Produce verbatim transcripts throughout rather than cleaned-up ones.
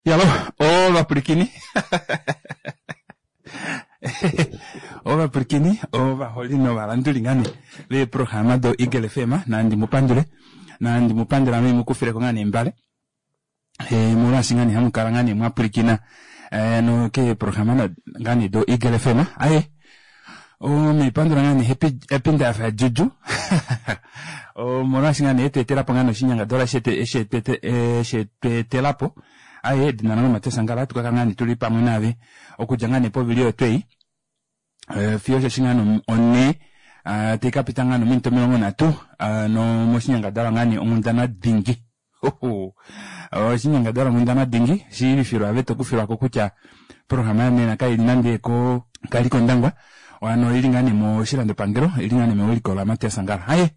Yalo ovapwilikini ovapwilikini ovaholi novalanduli ngaa nee veeprograma do Eagle F M nandi mupandule nandi mupandule ame haimukufileko ngaa nee embale molwaashi ngaa nee hamukala ngaa nee mwapwilikina keeprograma ngaa nee do Eagle F M aaye ame haipandula ngaa nee happy ndayafa juju omolwaashi ngaa nee etweetelapo ngaa nee oshinyangadalwa eshi etweetelapo aaye edina lange o Mateus Angala ohatu kakala ngaa nee tuli pamwe naave okudja ngaa nee povili oyo tweyi fiyo osheshi ngaa nee onhee taikapita ngaa nee ominute omilongo nhatu moshinyangadalwa ngaa nee onghundana dingi oshinyangadalwa onghundana dingi shiivifilwa ove tokufilwako kutya oprograma yonena kaili nande ko kaili kOndangwa hano oili ngaa nee moshilandopangelo oili ngaa nee mewiliko la Matias Angala aaye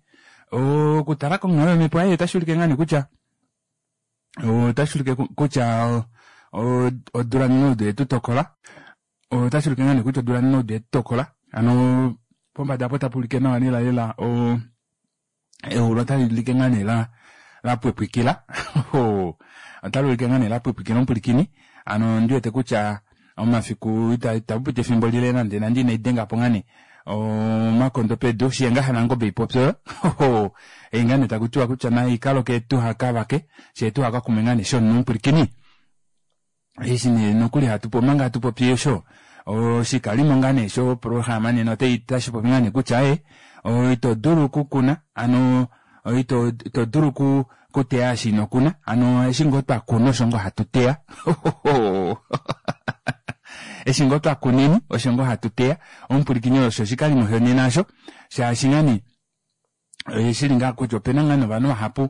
okutala konghalo yomepo aaye otashuulike ngaa nee kutya otashuulike kutya odula neudo oyetutokola otashuulike ngaa nee kutya odula neudo oyetutokola hano pombada aapo otapuulike nawa lela lela oo eulu otaliulike ngaa nee lapwipwikila otaluulike ngaa nee lapwipwikila omupwilikini hano ondiwete kutya omafiku itapupiti efimbo lile nande nande inaidengapo ngaa nee omakondo pedu shiyenga shanangobe haipopyo oyo ei ngoo nee takutiwa kutya naikaloke tuhakavake fyee tuhakakume ngaa nee shomunhu omupwilikini eshi nee nokuli omanga hatu popi osho oshikalimo ngaa nee shoprograma nena otashipopi ngaa nee kutya aaye ito dulu okukuna hano ito dulu okuteya osho inokuna hano eshi ngoo twakuna osho ngoo hatuteya eshi ngoo twakuneni osho ngoo hatuteya omupwilikini osho oshikalimo shonena aasho shaashi ngaa nee oshili ngaha kutya opena ngaa nee ovanhu vahapu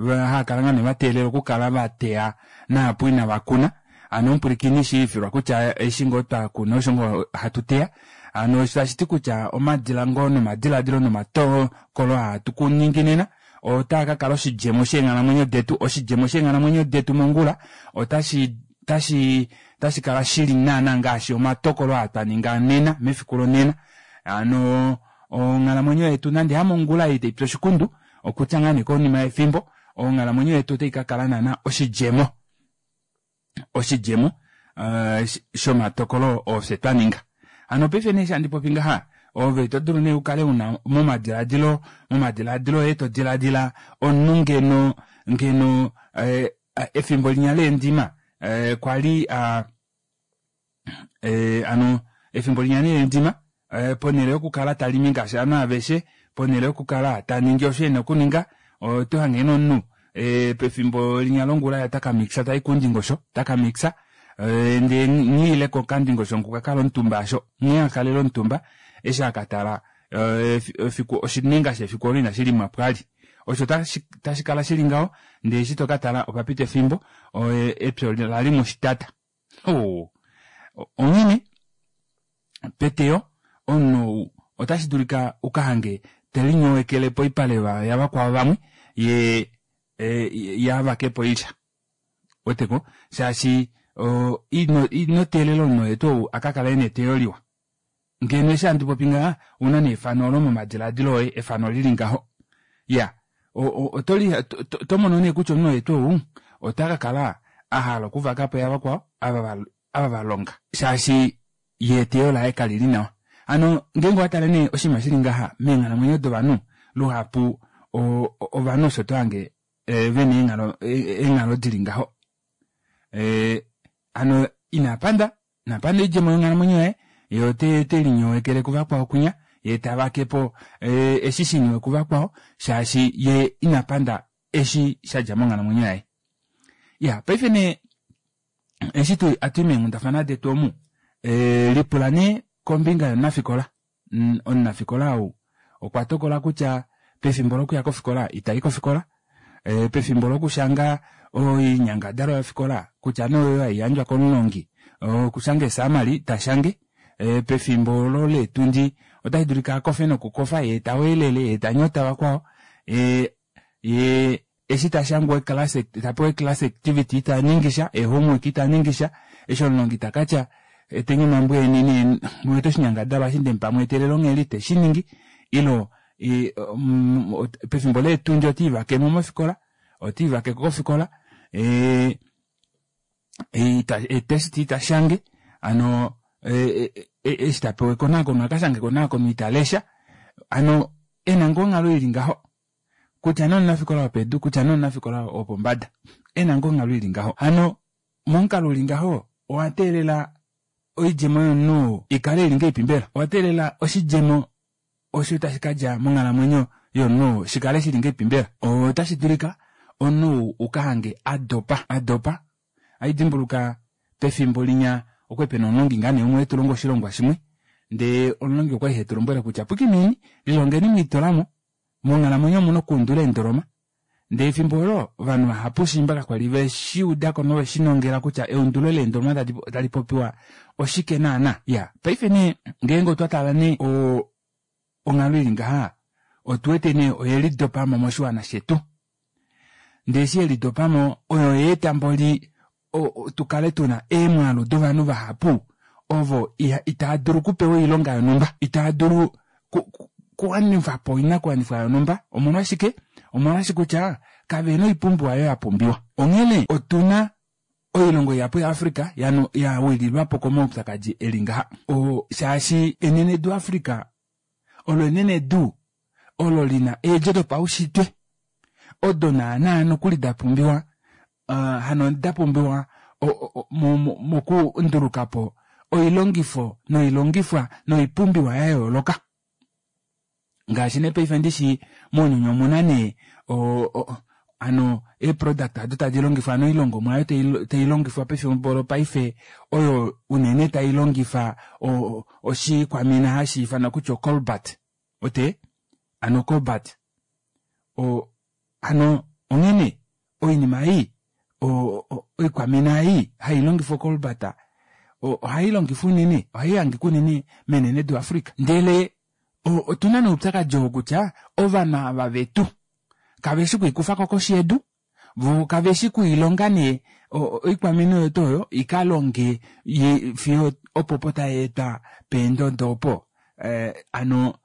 haakala ngaa nee vateelela okukala vateya naapu inavakuna hano omupwilikini shiivifilwa kutya eshi ngoo twakuna osho ngoo hatu teya hano tashiti kutya omadilango nomadilaadilo nomatokolo aa hatuningi nena otaakakala oshidjemo sheenghalamwenyo detu oshidjemo sheenghalamwenyo detu mongula otashi otashi otashikala shili naana ngaashi omatokolo aa twaninga nena mefiku lonena hano onghalamwenyo yetu nande hamongula ei taipi oshikundu okutya ngoo nee konima yefimbo onghalamwenyo yetu otaikakala naana oshidjemo oshidjemo shomatokolo oo fye twaninga hano paife nee eshi handi popi ngaha ove oto dulu nee ukale una momadilaadilo momadilaadilo oye todilaadila omunhu ngeno ngeno efimbo linya leendima kwali aa hano efimbo linya nee leendima ponele yokukala talimi ngaashi ovanhu aveshe ponele yokukala taningi osho ena okuninga otohange nee omunhu pefimbo linya longula yee otaka mixa tayi koundingosho otaka mixa ndee nghee aile kokandingosho okwa kala omutumba aasho nghee akalele omutumba eshi akatala efiku oshinenga shefiku oolo inashilimwapo vali osho tashikala shili ngaho ndee eshi tokatala opapita efimbo epya olalimwa oshitata oo onghene peteyo omunhu ou otashidulika ukahange telinyowekele poipale yavakwao vamwe yee yee avakepo oilya ouweteko shaashi ino teelela omunhu oye tuu ou akakale ena eteyo liwa ngeno eshi handi popi ngaha ouna nee efano oolo momadilaadilo oye efano lili ngaho iyaa otomono nee kutya omunhu oye tuu ou otakakala ahala okuvakapo yavakwao ava valonga shaashi yee eteyo laye kalili nawa hano ngeenge owatale nee oshinima shili ngaha meenghalamwenyo dovanhu luhapu ovanhu osho tohange vena eenghalo eenghalo dili ngaho hano inapanda inapanda oidjemo yonghalamwenyo yaye yee otelinyowekele kuvakwao kwinya yee tavakepo eshi shiniwe kuvakwao shaashi yee inapanda eshi shadja monghalamwenyo yaye. Iyaa paife nee eshi hatui meenghundafana detu omu lipula nee kombinga yomunafikola omunafikola ou okwa tokola kutya pefimbo lokuya kofikola itayi kofikola pefimbo lokushanga oinyangadalwa yofikola kutya nee oyoyo haiyandjwa komulongi okushanga ee summary itashange pefimbo oolo leetundi otashidulika akofe nokukofa yee taweelele yee tanyota vakwao yee eshi tashangwa tapewa ee class activity itaningisha ee homework itaningisha eshi omulongi takatya eteni omambo eni mweete oshinyangadalwa eshi ndemupa mweetelele onghela iteshiningi ile pefimbo leetundi otiivakemo mofikola otiivakeko kofikola Eetest ita shange, hano eshi tapewa ekonakono akashange ekonakono italesha, hano ena ngoo onghalo ili ngaho kutya nee omunafikola wopedu kutya nee omunafikola wopombada ena ngoo onghalo ili ngaho. Hano momukalo uli ngaho owateelela oidjemo yomunhu ikale ili ngahelipi mbela? Owateelela oshidjemo osho tashi kadja monghalamwenyo yomunhu shikale shili ngahelipi mbela? Otashi dulika omunhu ukahange adopa adopa haidimbuluka pefimbo linya okwali pena omulongi ngoo nee umwe etulonga oshilongwa shimwe ndee omulongi okwali hetulombwele kutya pwikineni lilongeni mwiitulamo monghalamwenyo omuna okuundula eendoloma. Ndee efimbo olo ovanhu vahapu shiimba kakwali veshiudako noveshinongela kutya eundulo leendoloma tali popiwa oshike naana. Iya paife nee ngeenge otwa tala nee onghalo ili ngaha otuwete nee oyelidopamo moshiwana shetu. Ndee eshi yelidopamo oyo yaeta mboli tukale tuna eemwaalu dovanhu vahapu ovo itaa dulu okupewa oilonga yonhumba, itaa dulu kuwanifapo oinakuwanifwa yonhumba. Omolwashike? Omolwaashi kutya kavena oipumbiwa oyo yapumbiwa. Onghene otuna oilongo ihapu yaAfrica yawililwapo komaupyakadi eli ngaha. Shaashi enenedu Africa olo enenedu olo lina eedjo dopaushitwe odo naana nokuli dapumbiwa hano dapumbiwa mokundulukapo oilongifo noilongifwa noipumbiwa yayooloka. Ngaashi nee paife ndishi mounyuni omuna nee hano eeproduct aado tadi longifwa hano oilongomwa aayo tailongifwa pefimbo lopaife oyo unene tailongifa oshikwamina hashiifanwa kutya ocobalt wete hano cobalt hano onghene oinima ei oikwamina ei hailongifwa ocobalt ohailongifwa unene ohaihangika unene menenedu Africa. Ndele otuna nee oupyakadi oo kutya ovanhu ava vetu kaveshi okwiikufako koshi yedu voo kaveshi okwiilonga nee oikwamina oyo tuu oyo ikalonge fiyo opopo tayeetwa peendodo opo hano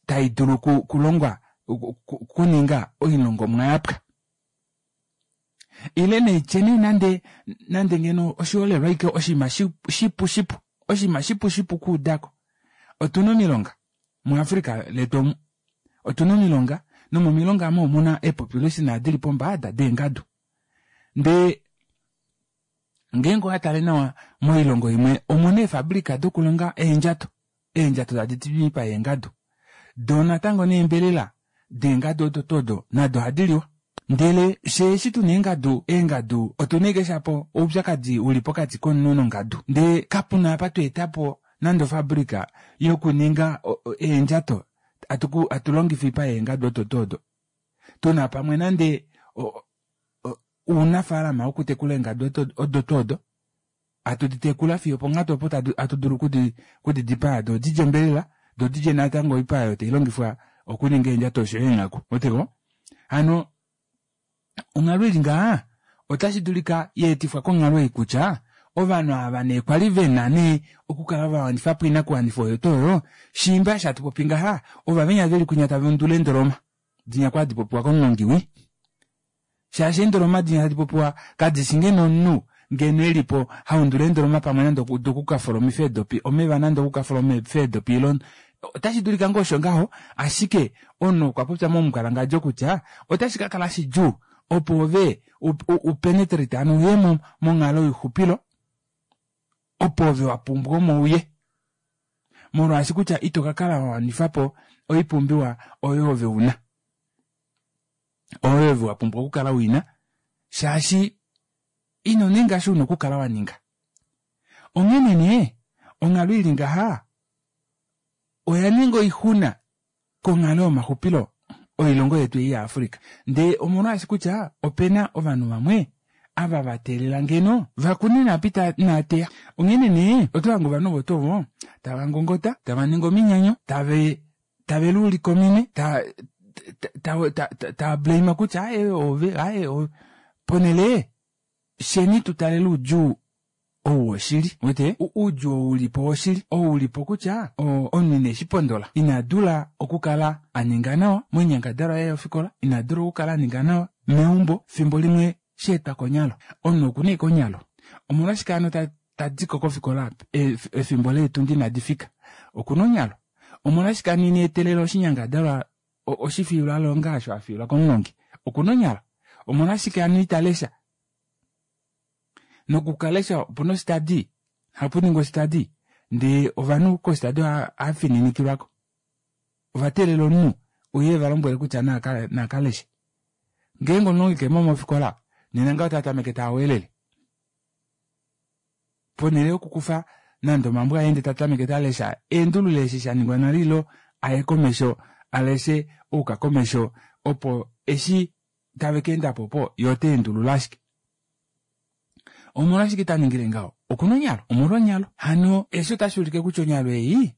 taidulu okulongwa okuninga oilongomwa yapwa. Ile naitye nee nande nande ngeno oshiholelwa ashike oshinima shipu shipu oshinima shipu shipu okuudako. Otuna omilonga muAfrica letu omu otuna omilonga nomomilonga aamo omuna eepopulation dili pombada deengadu. Ndee ngeenge owatale nawa moilongo imwe omuna eefabrika dokulonga eendjato, eendjato tadi miipa yeengadu doo natango neembelela deengadu odo tuu odo nado ohadiliwa. Ndele fyee eshi tuna eengadu, eengadu otuna ashike shapo oupyakadi uli pokati komunhu nongadu ndee kapuna apa tweetapo nande ofabrika yokuninga eendjato hatu longifa oipa yeengadu odo tuu odo. Tuna pamwe nande ounafalama wokutekula eengadu odo tuu odo hatu ditekula fiyo oponghatu opo hatu dulu okudidipaa doo didje ombelela doo didje natango oipa oyo tailongifwa okuninga eendjato oshoyo eenghaku ouweteko. Hano onghalo ili ngaha otashi dulika yaetifwa konghalo ei kutya ovanhu ava nee kwali vena nee okukala vawanifapo oinakuwanifwa oyo tuu oyo shiimba eshi hatu popi ngaha ova venya veli kwinya tava undula eendoloma dinya kwali hadi popiwa komulongi wii. Shaashi eendoloma dinya tadi popiwa kadishi ngeno omunhu ngeno elipo haundula eendoloma pamwe nande okukafolomifa eedopi omeva nande okukafolomifa eedopi ile otashi dulika ngoo osho ngaho ashike omunhu okwa popya momukwalangadjo kutya otashi kakala shidjuu opo ove upenetrate hano uye monghalo yoixupilo opo ove wapumbwa omo uye molwaashi kutya ito kakala wawanifapo oipumbiwa oyo ove una oyo ove wapumbwa okukala uina shaashi ino ninga eshi una okukala waninga. Onghene nee onghalo ili ngaha oya ninga oixuna konghalo yomaxupilo oilongo yetu ei yaAfrica. Ndee omolwaashi kutya opena ovanhu vamwe ava vateelela ngeno vakune naapa inaateya. Onghene nee otohange ovanhu ovo tuu ovo tava ngongota, tava ningi ominyanyo, tave tave luulike ominwe tava blame kutya aaye ove aaye ove ponele fyeni tutalele oudjuu ou woshili uwete oudjuu ou ulipo woshili ou ulipo kutya omunhu ineshipondola ina dula okukala aninga nawa moinyangadalwa yaye yofikola, ina dula okukala aninga nawa meumbo fimbo limwe shaetwa konyalo. Omunhu okuna ashike onyalo Omolwashike hano tadiko kofikola efimbo leetundi inadi fika? Okuna onyalo. Omolwashike hano ina etelela oshinyangadalwa oshifiilwalonga osho afiilwa komulongi? Okuna onyalo. Omolwashike hano ita lesha? Nokukalesha opuna ositadi, hapuningwa ositadi ndee ovanhu kositadi ohafininikilwako. Ovateelela omunhu uye valombwele kutya nakaleshe. Ngeenge omulongi kemo mofikola nena ngaho ota tameke tawelele. Ponhele yokukufa nande omambo aye ndee tatameke talesha eendulule eshi shaningwa nale ilo aye komesho aleshe ouka komesho opo eshi tave keendapo opo ye ota endulula ashike. Omolwashike taningile ngaho? Okuna onyalo, omolwa onyalo. Hano eshi otashi ulike kutya onyalo ei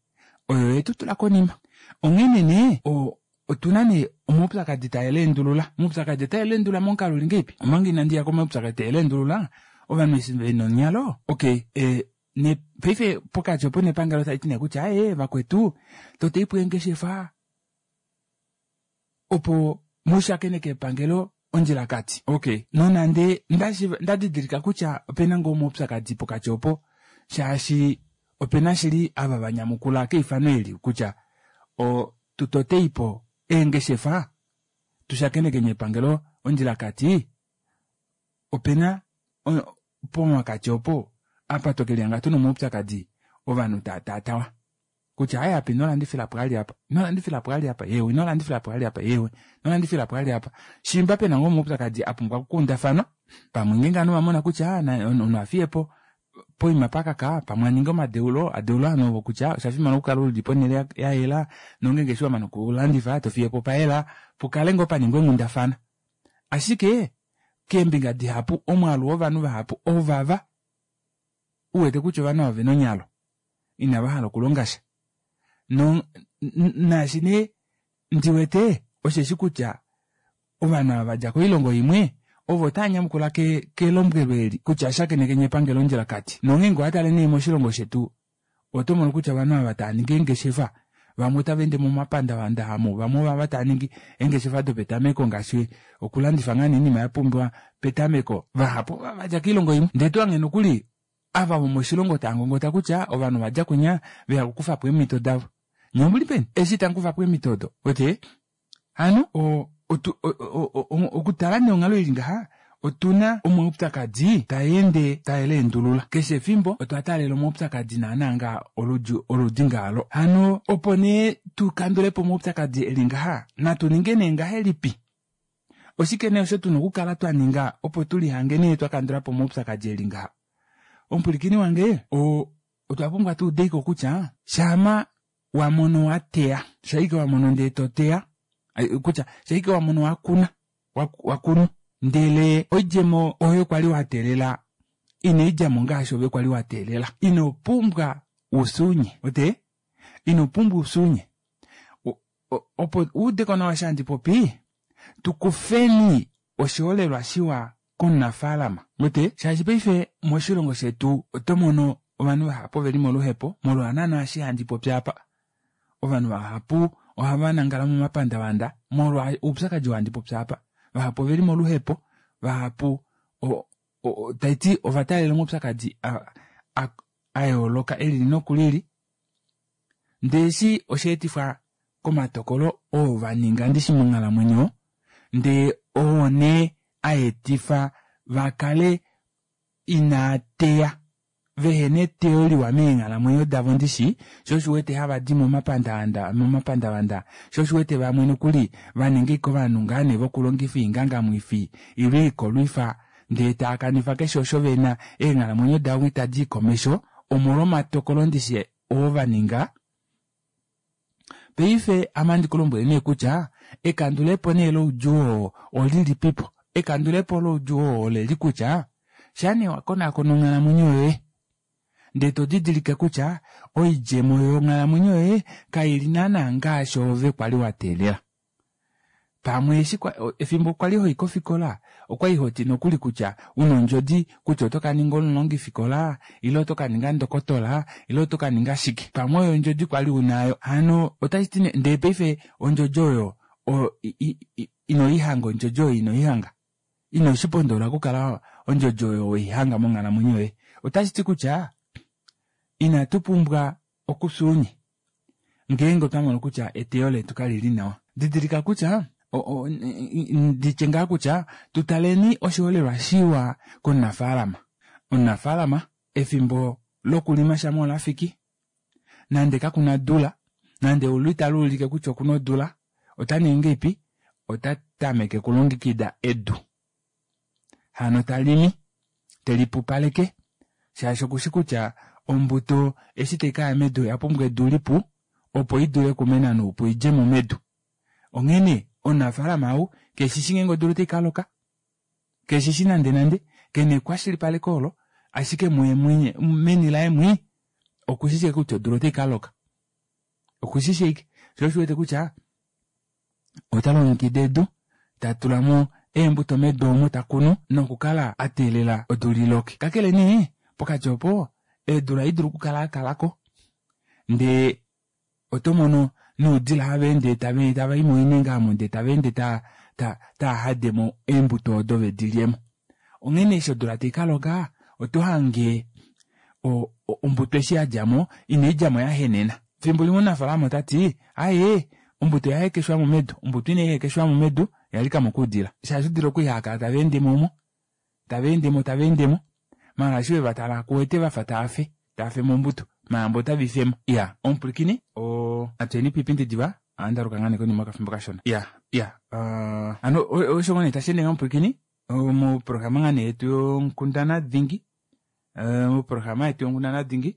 oyo yetu tula konima. Onghene nee otuna nee omaupyakadi taeleendulula. Omaupyakadi otaeleendulula momukalo uli ngahelipi? Omanga inandi ya komaupyakadi taeleendulula, ovanhu eshi vena onyalo, okay e, ne paife pokati opo nepangelo tali ti nee kutya ee vakwetu toteipo eengeshefa opo mushakeneke epangelo ondjilakati. Okay, nonande nda didilika kutya opena ngoo omaupyakadi pokati opo shaashi opena shili ava vanyamukula keifano eli kutya o tutoteipo eengeshefa tushakeneke epangelo ondjilakati, opena pomakati opo apa tokelihanga tuna omaupyakadi ovanhu taataatawa kutya aye apa ino landifila po ali apa, ino landifila po ali apa, yewe ino landifila po ali apa, yewe ino landifila po ali apa. Shimba pena ngoo omaupyakadi a pumbwa okukundafanwa, pamwe ngeenge ovanhu vamona kutya omunhu afiyepo poima pakaka, pamwe aninge omadeulo, adeule ovanhu ovo kutya osha fimana okukala uli ponhele ya yela nongeenge eshi wamana okulandifa tofiyepo payela, pukale ngoo paningwa eenghundafana. Ashike keembinga dihapu omwaalu wovanhu vahapu ovava uwete kutya ovanhu ava vena onyalo inava hala okulonga sha. No naashi nee ndiwete osheshi kutya ovanhu ava vadja koilongo imwe ovo otava nyamukula kelombwelo eli kutya shakenekeni epangelo ondjilakati. Nongeenge owatale nee moshilongo shetu oto mono kutya ovanhu ava tava ningi eengeshefa vamwe otava ende momapandavanda amo, vamwe ovava tava ningi eengeshefa dopetameko ngaashi okulandifa ngaa oinima ya pumbiwa petameko, vahapu ova vadja koilongo imwe. Ndee tohange nokuli ava vomoshilongo tava ngongota kutya ovanhu vadja kwinya veya okukufapo eemhito davo. Nye omuli peni eshi tamu kufapo eemhito odo? Wete hano okutala nee onghalo ili ngaha otuna omaupyakadi taende taeleendulula keshe efimbo otwa taalela omaupyakadi naana nga oludi oludi ngalo. Hano opo nee tukandulepo omaupyakadi eli ngaha natu ninge nee ngahelipi? Oshike nee osho tuna okukala twa ninga opo tulihange nee twakandulapo omaupyakadi eli ngaha? Omupwilikini wange otwa pumbwa tuudeko kutya shama wamono wateya, shaike wamono ndee toteya, kutya shaike wamono wakuna, wakunu ndele oidjemo oyo kwali wateelela ina idjamo ngaashi ove kwali wateelela, ino pumbwa usunye, wete ino pumbwa usunye opo uudeko nawa eshi handi popi tukufeni oshiholelwa shiwa komunafaalama, wete shaashi paife moshilongo shetu oto mono ovanhu vahapu oveli moluhepo molwa naana eshi handi popi apa. Ovanhu vahapu ohava nangala momapandavanda molwa oupyakadi oo handi popi apa. Vahapu oveli moluhepo, vahapu taiti ova taalela omaupyakadi a yooloka elili nokulili, ndee eshi osha etifwa komatokolo oo vaninga ndishi monghalamwenyo, ndee oo nee aetifa vakale inaa teya vehena eteyo liwa meenghalamwenyo davo ndishi, sho osho uwete hava di momapandavanda momapandavanda, sho osho uwete vamwe nokuli vaninga ashike ovanhu ngaa nee vokulongifa oingangamwifi ile oikolwifa ndee taakanifa keshe osho vena, eenghalamwenyo davo itadi i komesho omolwa omatokolo ndishi oo vaninga. Paife ame ohandi kulombwele nee kutya ekandulepo nee loudjuu oo olilipipo? Ekandulepo loudjuu oo oleli kutya shaa nee wakonaakona onghalamwenyo yoye ndee todidilike kutya oidjemo yonghalamwenyo yoye kaili naana ngaashi ove kwali wateelela. Pamwe eshi efimbo kwali hoi kofikola okwali hoti nokuli kutya una ondjodi kutya oto kaninga omulongifikola ile oto kaninga ndokotola ile oto kaninga shike, pamwe oyo ondjodi kwali unayo. Hano otashiti ndee paife ondjodi oyo inoihanga, ondjodi oyo inoihanga. Ino shipondola okukala ondjodi oyo weihanga monghalamwenyo yoye. Otashi ti kutya inatu pumbwa okufya ngeenge otwa mono kutya eteyo letu kalili nawa. Didilika kutya nditye ngaa kutya tutaleni oshiholelwa shiwa komunafaalama. Omunafaalama efimbo lokulima shamha olafiki nande kakuna odula nande eulu italuulike kutya okuna odula otaningi ngahelipi ota tameke okulongekida edu. Hano talimi telipupaleke shaashi okushi kutya ombuto eshi taikaya medu oyapumbwa edu lipu opo idule okumena noupu idjemo medu. Onghene omunafaalama ou keshishi ngeenge odula otaikaloka keshishi nande nande kena ekwashilipaleko olo ashike muye meni laye mwii okushishi ashike kutya odula otaikaloka okushishi ashike shoo osho uwete kutya ota longekida edu tatulamo eembuto medu omo takunu nokukala ateelela odula iloke. Kakele nee pokati opo eedula ohadidulu okukala yakalako ndee otomono noudila havaende tavai moinenga aamo ndee tavaende ta ta hademo eembuto odo vedilyemo. Onghene eshi odula taikaloka oto hange ombuto eshi yadjamo inaidjamo yahenena. Fimbo limwe omunafalama otati aaye ombuto oya hekeshwamo medu, ombuto ina ihekeshwamo medu oyalikamo koudila shaashi oudila okwali haakala tavaendemo omo tavaendemo tavaendemo maala eshi wevatala kuwete vafa taafe taafemo ombuto maala mboli otave ifemo. Iya omupwilikini oo natuyeni poipindi diva ohandaluka ngoo nee konima yokafimbo kashona. Iya iya hano osho ngoo nee tasheende ngaho omupwilikini moprograma ngaa nee yetu yonghundana dingi moprograma yetu yonghundana dingi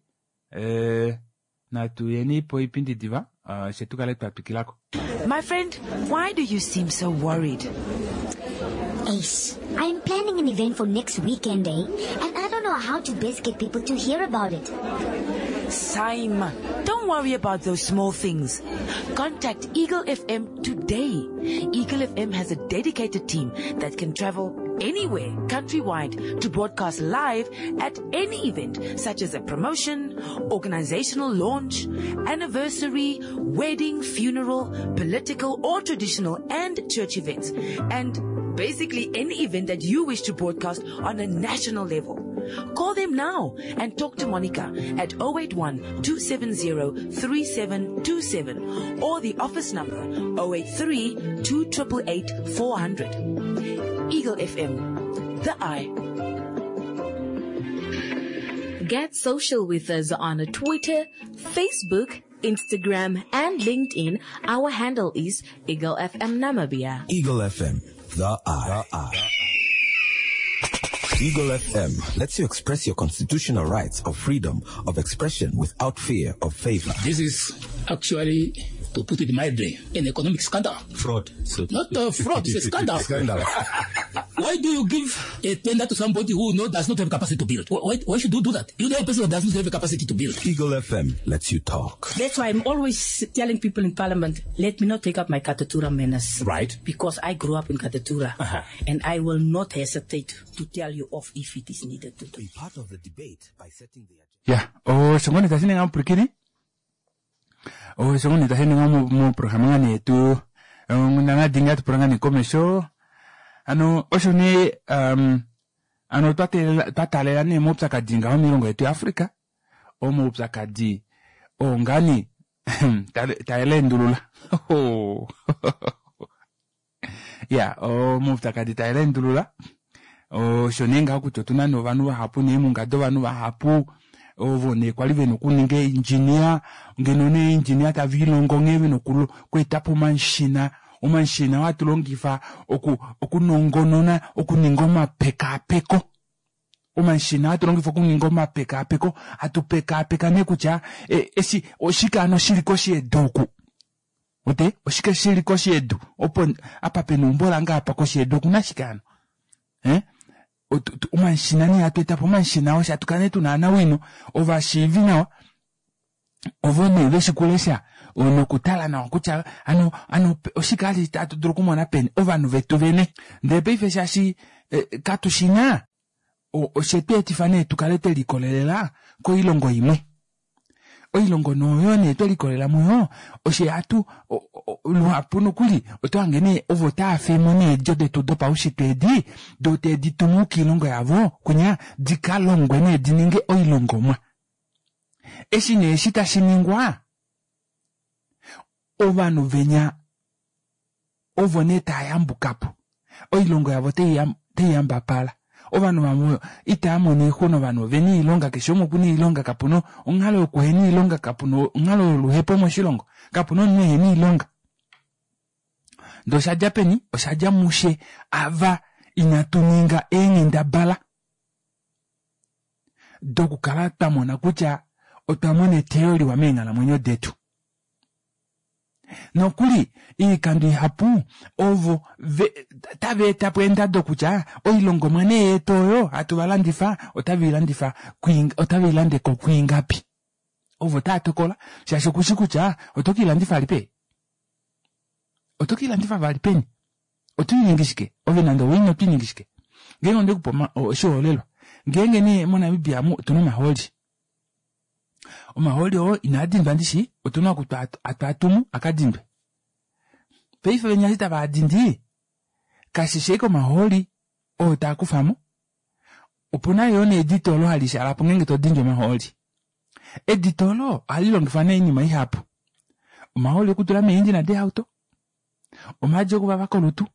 natuyeni poipindi diva fye tukale twatwikilako. My friend, why do you seem so worried? Ace, I'm planning an event for next weekend, eh? And I don't know how to best get people to hear about it. Simon, don't worry about those small things. Contact Eagle F M today. Eagle F M has a dedicated team that can travel anywhere countrywide to broadcast live at any event, such as a promotion, organizational launch, anniversary, wedding, funeral, political or traditional and church events, and basically any event that you wish to broadcast on a national level. Call them now and talk to Monica at oh eight one, two seven zero, three seven two seven or the office number oh eight three, two triple eight, four hundred. Eagle F M, the eye. Get social with us on Twitter, Facebook, Instagram, and LinkedIn. Our handle is Eagle F M Namibia. Eagle F M, the eye. The eye. Eagle F M lets you express your constitutional rights of freedom of expression without fear of favor. This is actually, to put it mildly, an economic scandal. Fraud. So Not a fraud, it's a scandal. Scandal. Why do you give a tender to somebody who no, does not have capacity to build? Why, why should you do that? You know a person who does not have a capacity to build. Eagle F M lets you talk. That's why I'm always telling people in Parliament, let me not take up my Katutura manners. Right. Because I grew up in Katutura. Uh-huh. And I will not hesitate to tell you off if it is needed to do. Be part of the debate by setting the agenda. Yeah. Oh, shongoni tashinenga mupwilikini. Oh, shongoni tashinenga mu, mu programa ngani yetu. Onghundana dingi hatu pula ngani komesho. Ano, osho nee, um, ano twa teelela, twa taalela nee moupyakadi ngaho moilongo yetu yaAfrica. Omaupyakadi oo ngani, taelendulula. Ya, omaupyakadi taelendulula. Osho nee ngaho kutya otuna nee ovanhu vahapu neemhunga dovanhu vahapu ovo nee kwali vena okuninga engineer, ngeno nee engineer tava ilongo nghee vena okweeta po omashina, omashina oo hatu longifa oku, okunongonona, okuninga omapekapeko. Omashina hatu longifa okuninga omapekapeko, hatu pekapeka nee kutya, e, eshi, oshike hano shili koshi yedu oku? Ote, oshike shili koshi yedu? Opo, apa pena eumbo lange apa koshi yedu okuna shike hano? Eh? Omashina nee hatu eta po omashina osho hatu kala nee tuna anawino, ovashiivi nawa, ovo nee veshi kulesha, nokutala nawa kutya, ano, ano, oshike hali tatu dulu okumona peni, ovanhu vetu vene. Ndele paife shaashi, eh, katu shina, oshe tu etifa nee tukale twe likolelela koilongo imwe. Oilongo noyo nee twe likolelela muyo, oshe hatu, Luhapu nokuli oto hange nee ovo tava femo needjo detu dopaushitwe edi doo tedi tumu koilongo yavo kunya di ka longwe nee di ninge oilongomwa. Eshi nee eshi tashi ningwa ovanhu venya ovo nee tayambukapo oilongo yavo otaiyambapala ovanhu vamwe itamono oixuna ovanhu ovena oilonga keshe umwe okuna oilonga kapuna onghalo yokuhena oilonga kapuna onghalo yoluhepo moshilongo kapuna omunhu ehena oilonga. Ndee oshadja peni? Oshadja mushe ava inatu ninga eenghendabala dokukala twamona kutya otwa mona eteyo liwa meenghalamwenyo detu. Nokuli oikando ihapu ovo tava etapo eendado kutya oilongomwa nee yetu oyo hatu valandifa otaveilandifa otaveilande ko kwiingapi. Ovo tava tokola shaashi okushi kutya oto keilandifa vali peni? Oto keilandifa vali peni? Otoiningi shike? Ove nande oweina otoiningi shike? Ngeenge ondekupa oshiholelwa ngeenge nee moNamibia amu otuna omahooli. Omahooli oo inaa dindwa ndishi otuna oku atwaatumu akadindwe. Paife venya eshi tava dindi kashishi ashike omahooli oo taakufamo opuna yoo needito olo hali shaalapo ngeenge todindi omahooli. Edito olo ohali longifwa nee oinima ihapu. Omahooli okutula mee engine deehauto, omaadi okuvava kolutu,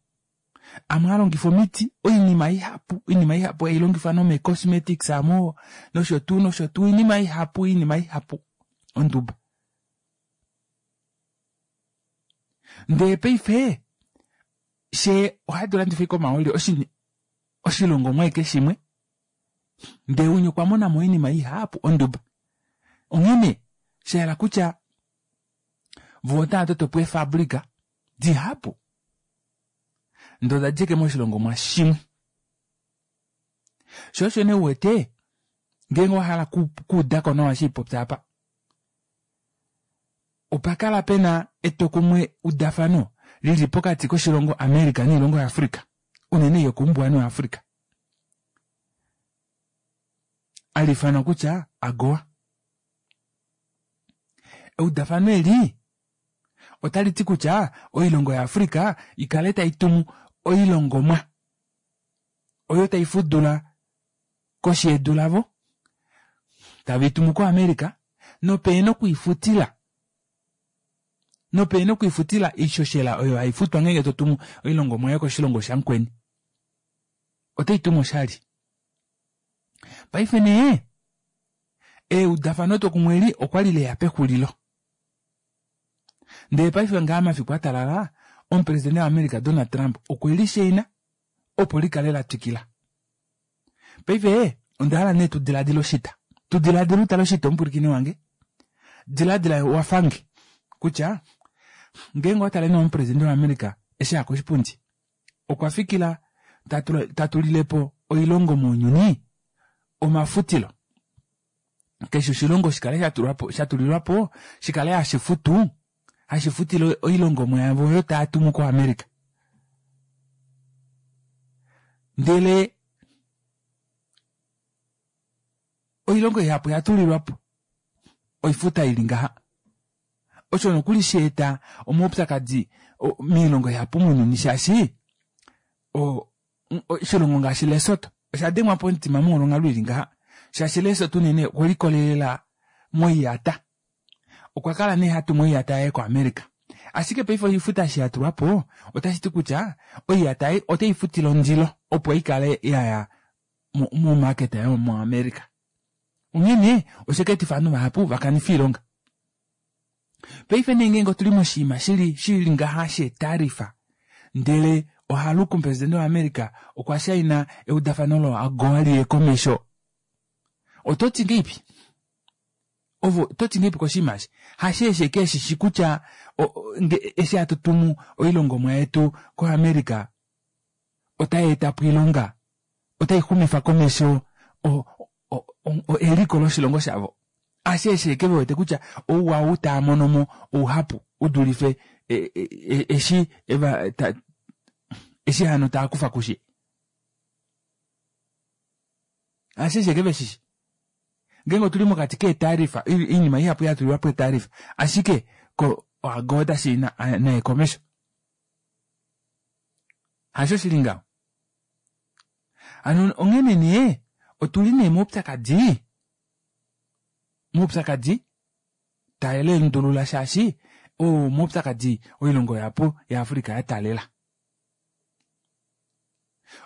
amwe ohalongifwa omiti, oinima ihapu oinima ihapu hailongifwa nomee cosmetics aamo noshotuu noshotuu oinima ihapu oinima ihapu onduba. Ndee paife fyee ohatu landifa ashike omahooli oshilongomwa ashike shimwe ndee umwe okwa monamo oinima ihapu onduba. Onghene shahala kutya voo otava totopo eefabrika dihapu ndee odadja ashike moshilongomwa shimwe. Shoo osho nee uwete ngeenge owahala okuudako nawa eshi haipopya aapa opakala pena etwokumwe udafano lili pokati koshilongo America noilongo ya Africa unene ei yokoumbuwanhu wa Africa haliifanwa kutya AGOA. Eudafano eli otaliti kutya oilongo ya Africa ikale taitumu oilongomwa oyo taifudula koshi yedu lavo taveitumu ko America nopehena okwiifutila nopehena okwiifutila oishoshela oyo haifutwa ngeenge totumu oilongomwa yoye koshilongo shamukweni. Otaitumu oshali. Paife nee eudafano twokumwe eli okwali leya pexulilo. Ndee paife ngaa mafiku atalala omupresident wa America Donald Trump okwe lishaina opo likale latwikila. Paife ondahala nee tudilaadile oshita. Tudilaadile utale oshita omupwilikini wange. Dilaadila wafange kutya ngeenge owatale nee omupresident wa America eshi aya koshipundi okwa fikila tatulilepo oilongo mounyuni omafutilo. Keshe oshilongo shikale shatulwapo shatulilwapo shikale hashifutu hashifutile oilongomwa yavo oyo taatumu ko America. Ndele oilongo ihapu oyatulilwapo oifuta ili ngaha. Osho nokuli shaeta omaupyakadi moilongo ihapu mounyuni shaashi oshilongo ngaashi Lesotho osha dengwa pomutima molwa onghalo ili ngaha shaashi Lesotho unene okwelikolelela moiyata. Okwa kala nee hatumu oiyata yaye ko America. Ashike paife oifuta eshi yatulwapo otashiti kutya oiyata ei oteifutile ondilo opo ikale yaya mo market yomo America. Onghene osha etifa ovanhu vahapu vakanife oilonga. Paife nee ngeenge otuli moshinima shili shili ngaha sheetarifa ndele ohaluka omupresident wa America okwa shaina eudafano lo AGOA liye komesho. Ototi ngeipi? Ovo ototi ngeipi koshinima eshi? Hasheeshi ashike eshishi kutya eshi hatu tumu oilongomwa yetu ko America otai etapo oilonga otaixumifa komesho eliko loshilongo shavo. Asheeshi ashike vewete kutya ouwa ou taamonomo ouhapu udulife eshi eva eshi hano taakufa kushe. Asheeshi ashike veshishi. Ngeenge otuli mokati keetarifa oinima ihapu yatulilwapo eetarifa ashike ko oagoda shii naye komesho. Hasho shili ngaho. Hano onghene nee otuli nee moupyakadi moupyakadi taelendulula shaashi oo moupyakadi oilongo yapo yaAfrica yataalela.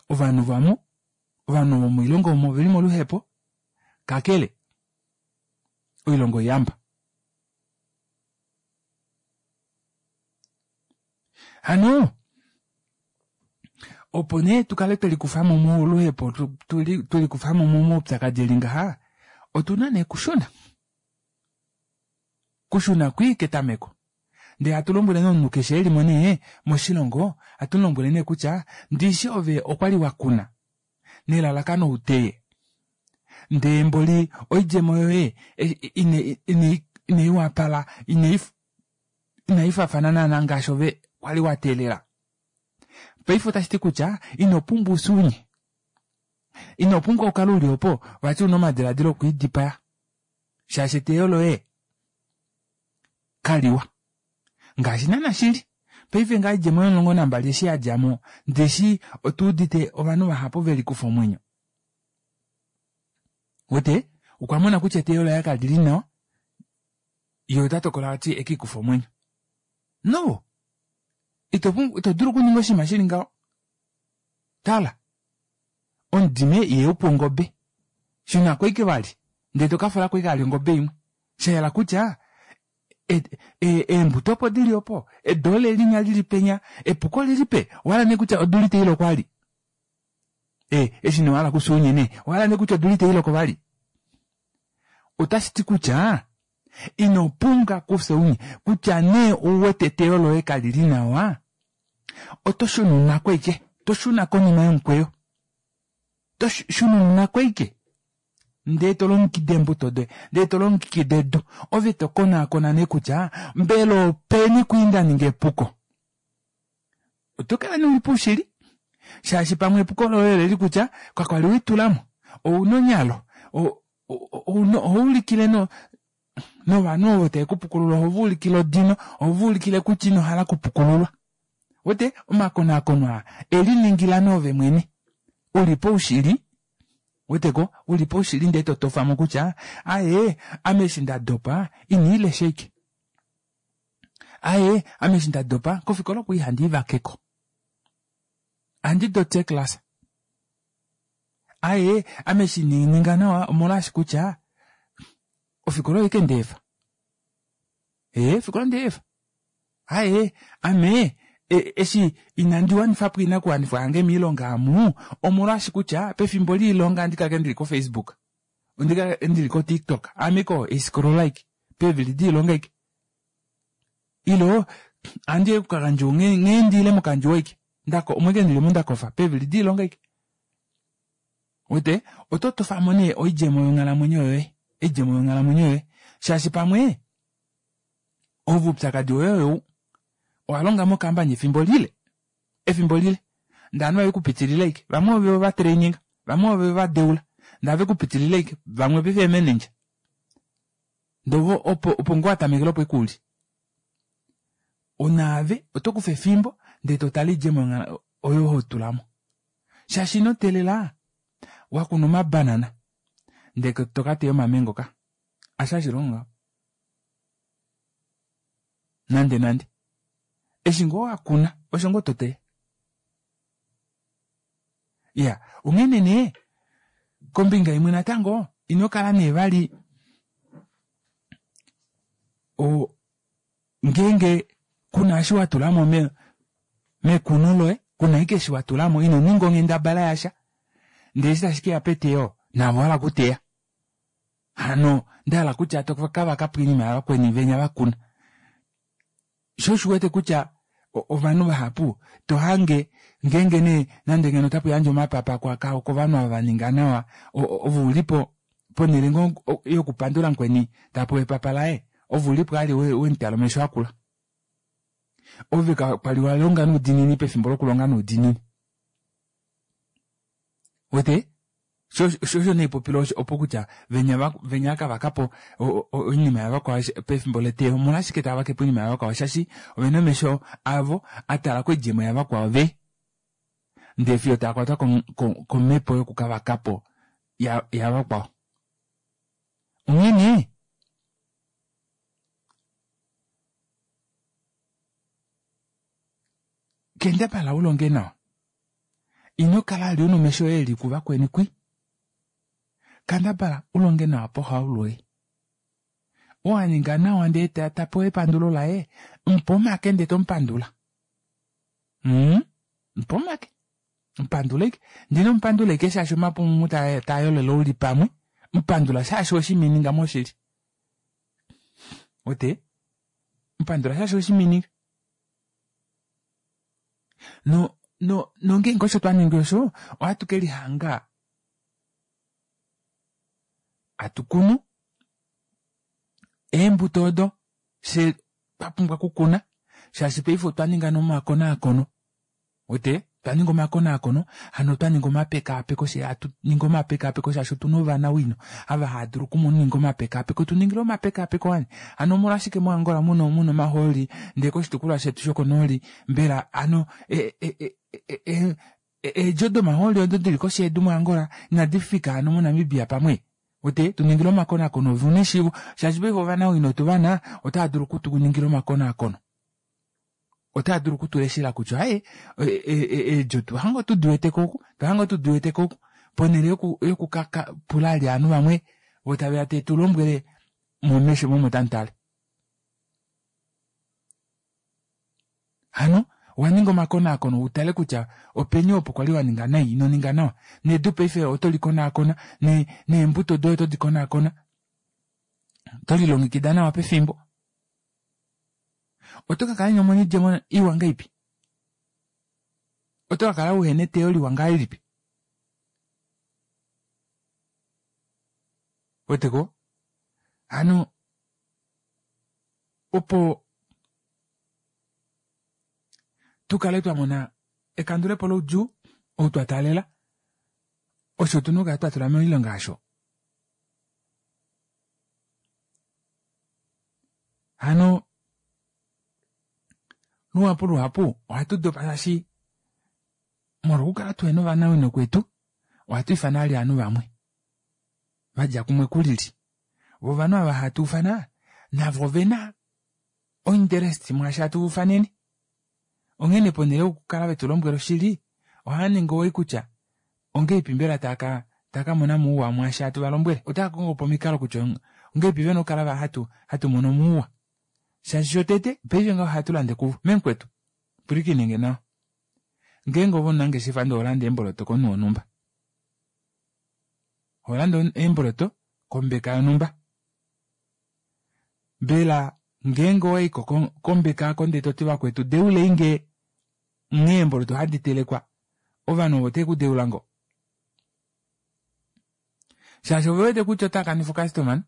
Ovanhu vamo ovanhu vomoilongo omo oveli moluhepo kakele oilongo iyamba. Hano opo nee tukale twelikufamo moluhepo twelikufamo momaupyakadi eli ngaha otuna nee kushuna. Kushuna kwii ketameko. Ndee hatu lombwele nee omunhu keshe elimo nee moshilongo hatu mulombwele nee kutya ndishi ove okwali wakuna nelalakano uteye. Ndee mboli oidjemo yoye inai wapala inaifaafana naana ngaashi ove kwali wateelela. Paife otashiti kutya ino pumbwa usunye. Ino pumbwa ukale uli opo vati una omadilaadilo okwiidipaya. Shaashi eteyo loye kaliwa. Ngaashi naana shili. Paife ngaa oidjemo yomulongo nambali eshi yadjamo ndeshi otuudite ovanhu vahapu velikufa omwenyo. Wete okwa mona kutya eteyo laye kalili nawa ye ota tokola vati ekiikufe omwenyo. No! Ito ito dulu okuninga oshinima shili ngaho. Tala, omudime ihaupu ongobe. Shunako ashike vali ndee tokafulako ashike vali ongobe imwe. Shayela kutya eembuto opo dili opo, edu ole linya lili penya, epuko lilipe, owahala nee kutya odula itailoko vali. E, eshi nee owahala kusuunye nee, owahala nee kutya odula itailoko vali. Otashiti kutya ino pumbwa kufya ounye kutya nee ouwete eteyo loye kalili nawa, oto shununako ashike, to shuna konima yomukweyo. To shununako ashike. Ndee to longekida eembuto doye, ndee to longekida edu, ove to konaakona nee kutya mbela openi kwii ndaninga epuko. Oto kala nee uli poushili shaashi pamwe epuko loye oleli kutya kakwali welitulamo, ouna onyalo, ohaulikile novanhu ovo tavekupukulula ohovaulikile odino, ohovaulikile kutya inohala okupukululwa. Wete omakonaakono aa eliningila nee ove mwene uli poushili weteko uli poushili ndee totofamo kutya aaye ame eshi ndadopa iniilesha ashike. Aaye ame eshi ndadopa kofikola okwali handi ivakeko. Ohandi doti eeclass. Aaye ame eshi inaninga nawa omolwaashi kutya ofikola oyo ashike ndeefa. Ee ofikola ndeefa. Aaye ame eshi inandi wanifapo oinakuwanifwa yange moilonga amu omolwaashi kutya pefimbo loilonga ohandi kala ndili ko Facebook, ohandi kala ndili ko TikTok, ame ashike oo haiscroll ashike peevili doilonga ashike. Ilo ohandi kokakandjuwo nghee ndiile mokandjuwo ashike omo ashike ndilimo ndakofa peevili doilonga ashike. Wete oto tofamo nee oidjemo yonghalamwenyo yoye, oidjemo yonghalamwenyo yoye shaashi pamwe ove oupyakadi woye oyou owalonga mo company efimbo lile efimbo lile ndee ovanhu vekupitilila ashike vamwe ove ovatraininga vamwe ove vadeula ndee ovekupitilila ashike vamwe paife eemanager ndee ove opo opo ngoo watamekele opo ashike uli. Onaave oto kufa efimbo ndee totale oidjemo oyo hotulamo. Shaashi ino teelela wakuna omabanana ndee tokateya omamengo ka. Hasho hashilongo ngaho. Nande nande. Eshi ngoo wakuna osho ngoo toteya. Iya, onghene nee kombinga imwe natango ino kala nee vali o ngeenge kuna eshi watulamo mekuno loye, kuna ashike eshi watulamo ino ninga onghendabala yasha ndee eshi tashi keya peteyo naave owahala okuteya. Hano ndahala kutya tokavakapo oinima yavakweni venya vakuna. Shoo osho uwete kutya ovanhu vahapu tohange ngeenge nee nande ngeno otapu yandjwa omapapa kovanhu ava vaninga nawa ove ulipo ponele ngoo yokupandula mukweni tapewa epapa laye ove ulipo vali wemutala omesho akula. Ove kwali walonga noudiinini pefimbo lokulonga noudiinini. Wete? Sho osho neipopilo osho opo kutya venya venya kavakapo oinima yavakwao pefimbo leteyo omolwashike tava vake po oinima yavakwao shaashi ovena omesho avo atala koidjemo yavakwao ve ndee fiyo taakwatwa komhepo yokukavakapo yavakwao. Onghene kendabala ulonge nawa ino kala ali una omesho oye eli kuvakweni kwi kandabala ulonge nawa pohaulwoye oo aninga nawa ndee tapewa epandulo laye mupa omake ndee tomupandula mm mupa omake mupandula ashike ndee inomupandula ashike shaashi omapumumu taayolele uli pamwe mupandula shaashi weshimininga moshili ote mupandula shaashi weshimininga no no nongeenge osho twaningi osho ohatu kelihanga hatukunu eembuto odo fyee twapumbwa okukuna shaashi paife otwa ninga nomakonaakono uwete twaninga omakonaakono hano otwaninga omapekaapeko fyee hatuningi omapekaapeko shaashi otuna ovanawino ava haadulu okuninga omapekaapeko tuningile omapekaapeko wani hano omolwashike mo angola muna muna omahooli ndee koshitukulwa shetu shokonooli mbela hano e- e- e- eedjo domahooli odo dili koshi yedu mo angola inadifika hano mo namibia pamwe uwete tuningile omakonaakono ove una eshiivo shaashi paife ovanawino otuvana otaadulu okutuningila omakonaakono otaadulu okutuleshela kutya aaye eedjo otwahanga otudiweteko oku otwahanga otudiweteko oku ponele yoku yoku kakapula vali ovanhu vamwe voo taveya tetulombwele momesho omo tamutale hano owaninga omakonaakono utale kutya openi opo kwali waninga nai inoninga nawa nedu paife oto likonaakona neembuto doye oto dikonaakona oto lilongekida nawa pefimbo oto kakala inomona oidjemo iwa ngahelipi oto kakala uhena eteyo liwa ngahelipi ouweteko hano opo tukale twamona ekandulepo loudjuu ou twataalela osho otuna okukala twatula moilonga aasho hano luhapu luhapu ohatu dopa shaashi molwo okukala tuhena ovanawino kwetu ohatu ifana vali ovanhu vamwe vadja kumwe kulili voo ovanhu ava hatu ufana navo ovena ointerest mwaashi hatu vaufanene onghene ponele yokukala vetulombwela oshili ohaaningi owii kutya ongahelipi mbela taaka taakamona ouwa mwaashi hatu valombwele otaakongopo omikalo kutya ongahelipi vena okukala hatu hatu mono mouwa shaashi shotete paife ngaho ohatu lande kuvo memukwetu pwilikinenge nawa ngeenge ove omunangeshefa ndee oholande eemboloto komunhu wonhumba holande eemboloto kombeka yonhumba mbela ngeenge owaiko kombeka aako ndee toti vakwetu deuleinge nghee eemboloto hadi telekwa ovanhu ovo oteve kudeula ngoo shaashi ovewete kutya otaakanifa ocustomer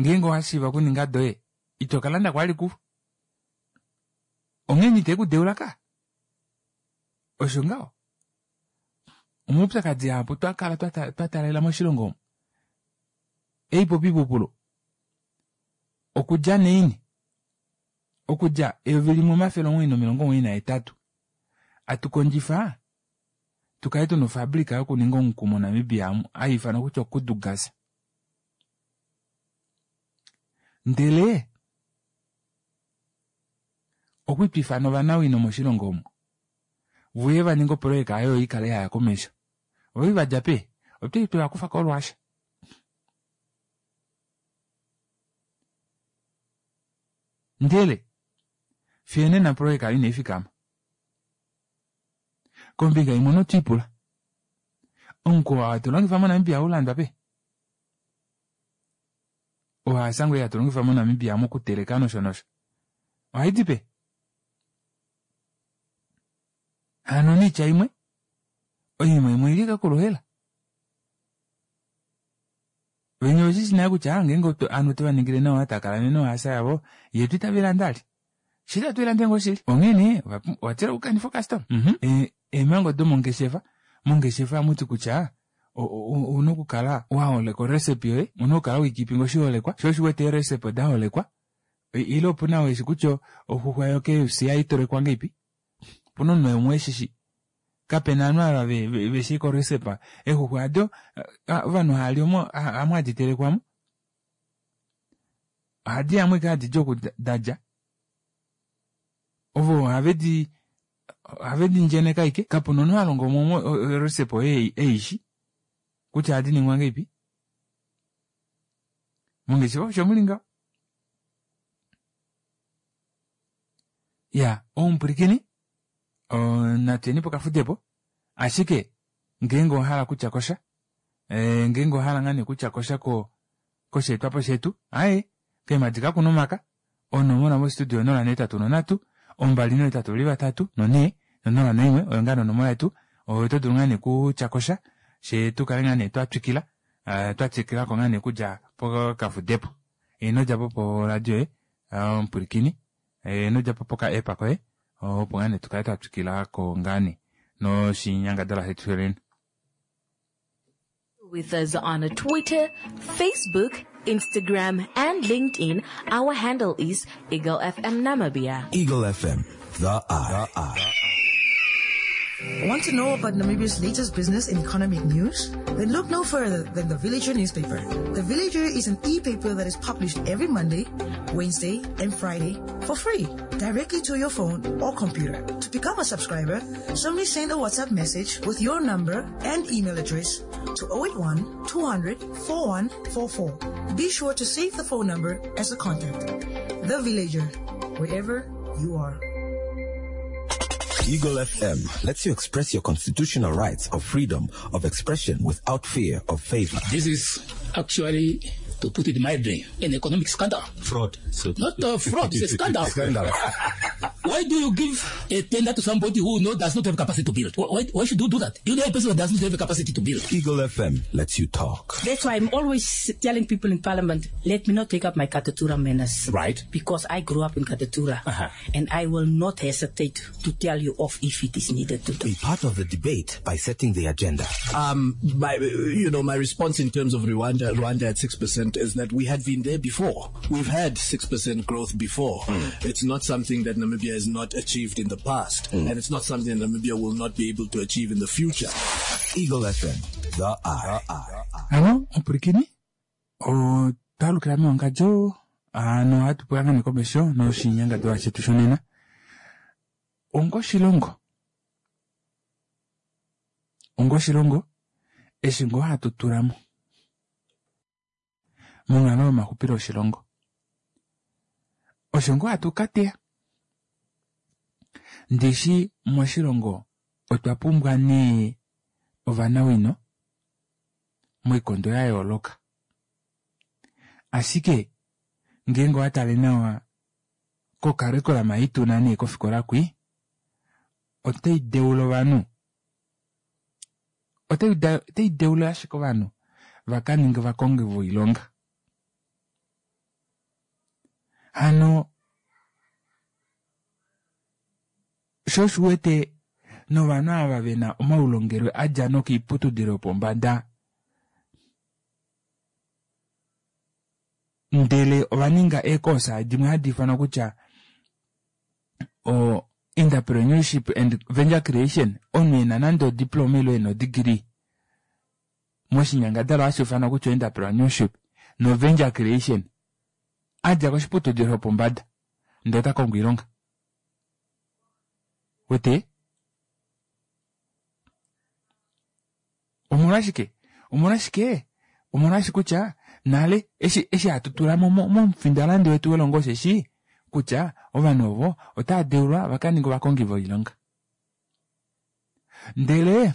ngeenge owashiiva okuninga doye ito kalanda kwali kuvo onghene itekudeula kaa osho ngaho omaupyakadi ahapu twakala twataalela moshilongo omu eipopipupulo okudja naini okudja eyovi limwe omafele omuwoi nomilongo omuwoi nahetatu atukondjifa tukale tuna ofabrika yokuninga omuku mo namibia amu hayiifanwa kutya okudu gas ndele okwali twiifana ovanawino moshilongo omu vuye vaninge oprojeka oyo ikale yaya komesho ovali vadja peni otwali twevakufa ko russia ndele fiyo onena oprojeka oyo inaifikama kombinga imwe notwiipula omuku oo hatu longifa mo namibia ohaulandwa peni ohaasa ngoo ei hatu longifa mo namibia mokuteleka nosho nosho ohaidi peni hano noitya imwe oinima imwe oili ashike koluhela venya oveshishi nale kutya ngeenge ovanhu otova ningile nawa taakala nohaasa yavo yetu itaveilande vali shili atuilande ngoo shili onghee nee ovatila okukanifa ocustomer mhm eemhango domongeshefa Mongeshefa ohamuti kutya ouna okukala waholeka orecipe yoye, ouna okukala weikipinga oshiholekwa, sho osho uwete eerecipe odaholekwa, ile opuna ou eshi kutya oxuxwa yo K F C ohaitelekwa ngahelipi, opuna omunhu umwe eshishi, kapena ovanhu ava veshi orecipe eexuxwa aado ovanhu haali omo hamu hadi telekwamo, ohadi yamwe ike hadi di oku dadja, ovo havedi havedi ndjeneka ike, kapuna omunhu alonga omo orecipe oyo eishi kutya ohadi ningwa ngahelipi. Mongeshefa osho muli ngaho. Ya, omupwilikini natuyeni pokafudepo, ashike ngeenge owahala kutya kosha, ngeenge owahala ngaa nee kutya kosha kosheetwapo shetu, aaye keemadi kakuna omaka, onomola mostudio onola neetatu nonhatu, ombali nohetatu veli vatatu nonhee nonola naimwe oyo ngaa nee onomola yetu, oto dulu ngaa nee kutya kosha fyee tukale ngaa nee twatwikila twatwikilako ngaa nee okudja pokafudepo. Ino djapo poradio yoye omupwilikini, ino djapo poka app koye opo ngaa nee tukale twatwikilako ngaa nee noshinyangadalwa shetu sholena. With us on Twitter, Facebook, Instagram and LinkedIn. Our handle is Eagle F M Namibia. Eagle F M, the eye. The eye. Want to know about Namibia's latest business and economic news? Then look no further than The Villager newspaper. The Villager is an e-paper that is published every Monday, Wednesday, and Friday for free, directly to your phone or computer. To become a subscriber, simply send a WhatsApp message with your number and email address to oh eight one, two hundred, four one four four. Be sure to save the phone number as a contact. The Villager, wherever you are. Eagle F M lets you express your constitutional rights of freedom of expression without fear of favor. This is actually, to put it mildly, an economic scandal. Fraud. So Not a fraud, it's a scandal. Scandal. Why do you give a tender to somebody who no, does not have capacity to build? Why, why should you do that? You know a person who does not have a capacity to build. Eagle F M lets you talk. That's why I'm always telling people in Parliament, let me not take up my Katutura manners. Right. Because I grew up in Katutura. Uh-huh. And I will not hesitate to tell you off if it is needed to do. Be part of the debate by setting the agenda. Um, my, you know, my response in terms of Rwanda, Rwanda at six percent is that we had been there before. We've had six percent growth before. Mm. It's not something that Namibia has not achieved in the past, mm. and it's not something that Namibia will not be able to achieve in the future. Eagle F M, the eye. Ano, ompurikini, o talukila mewangadjo, ano hatu pula ngane komesho noshinyangadwa shetu shonena. Ongoshilongo. Ongoshilongo, eshi ngoo hatu tulamo monghalo yomaxupilo oshilongo. Osho ngoo hatu kateya. Ndishi moshilongo otwa pumbwa nee ovanawino moikondo ya yooloka. Ashike ngeenge owa tale nawa kokarikulam ei tuna nee kofikola kwi, otai deula ovanhu. Otai da-, otai deula ashike ovanhu va ka ninge ovakongi voilonga. Hano sho osho uwete novanhu ava vena omaulongelwe a dja nokoiputudilo yopombada, ndele ova ninga eekosa dimwe hadi ifanwa kutya o entrepreneurship and venture creation, omunhu ena nande odiploma ile ena odegree moshinyangadalwa hashi ifanwa kutya entrepreneurship no venture creation, a dja koshiputudilo shopombada ndele ota kongo oilonga. Wete? Omolwashike? Omolwashike? Omolwashike kutya nale eshi, eshi hatu tula mo, mo, momufindalandi wetu welongo osheshi kutya ovanhu ovo otava deulwa va ka ninge ovakongi voilonga. Ndele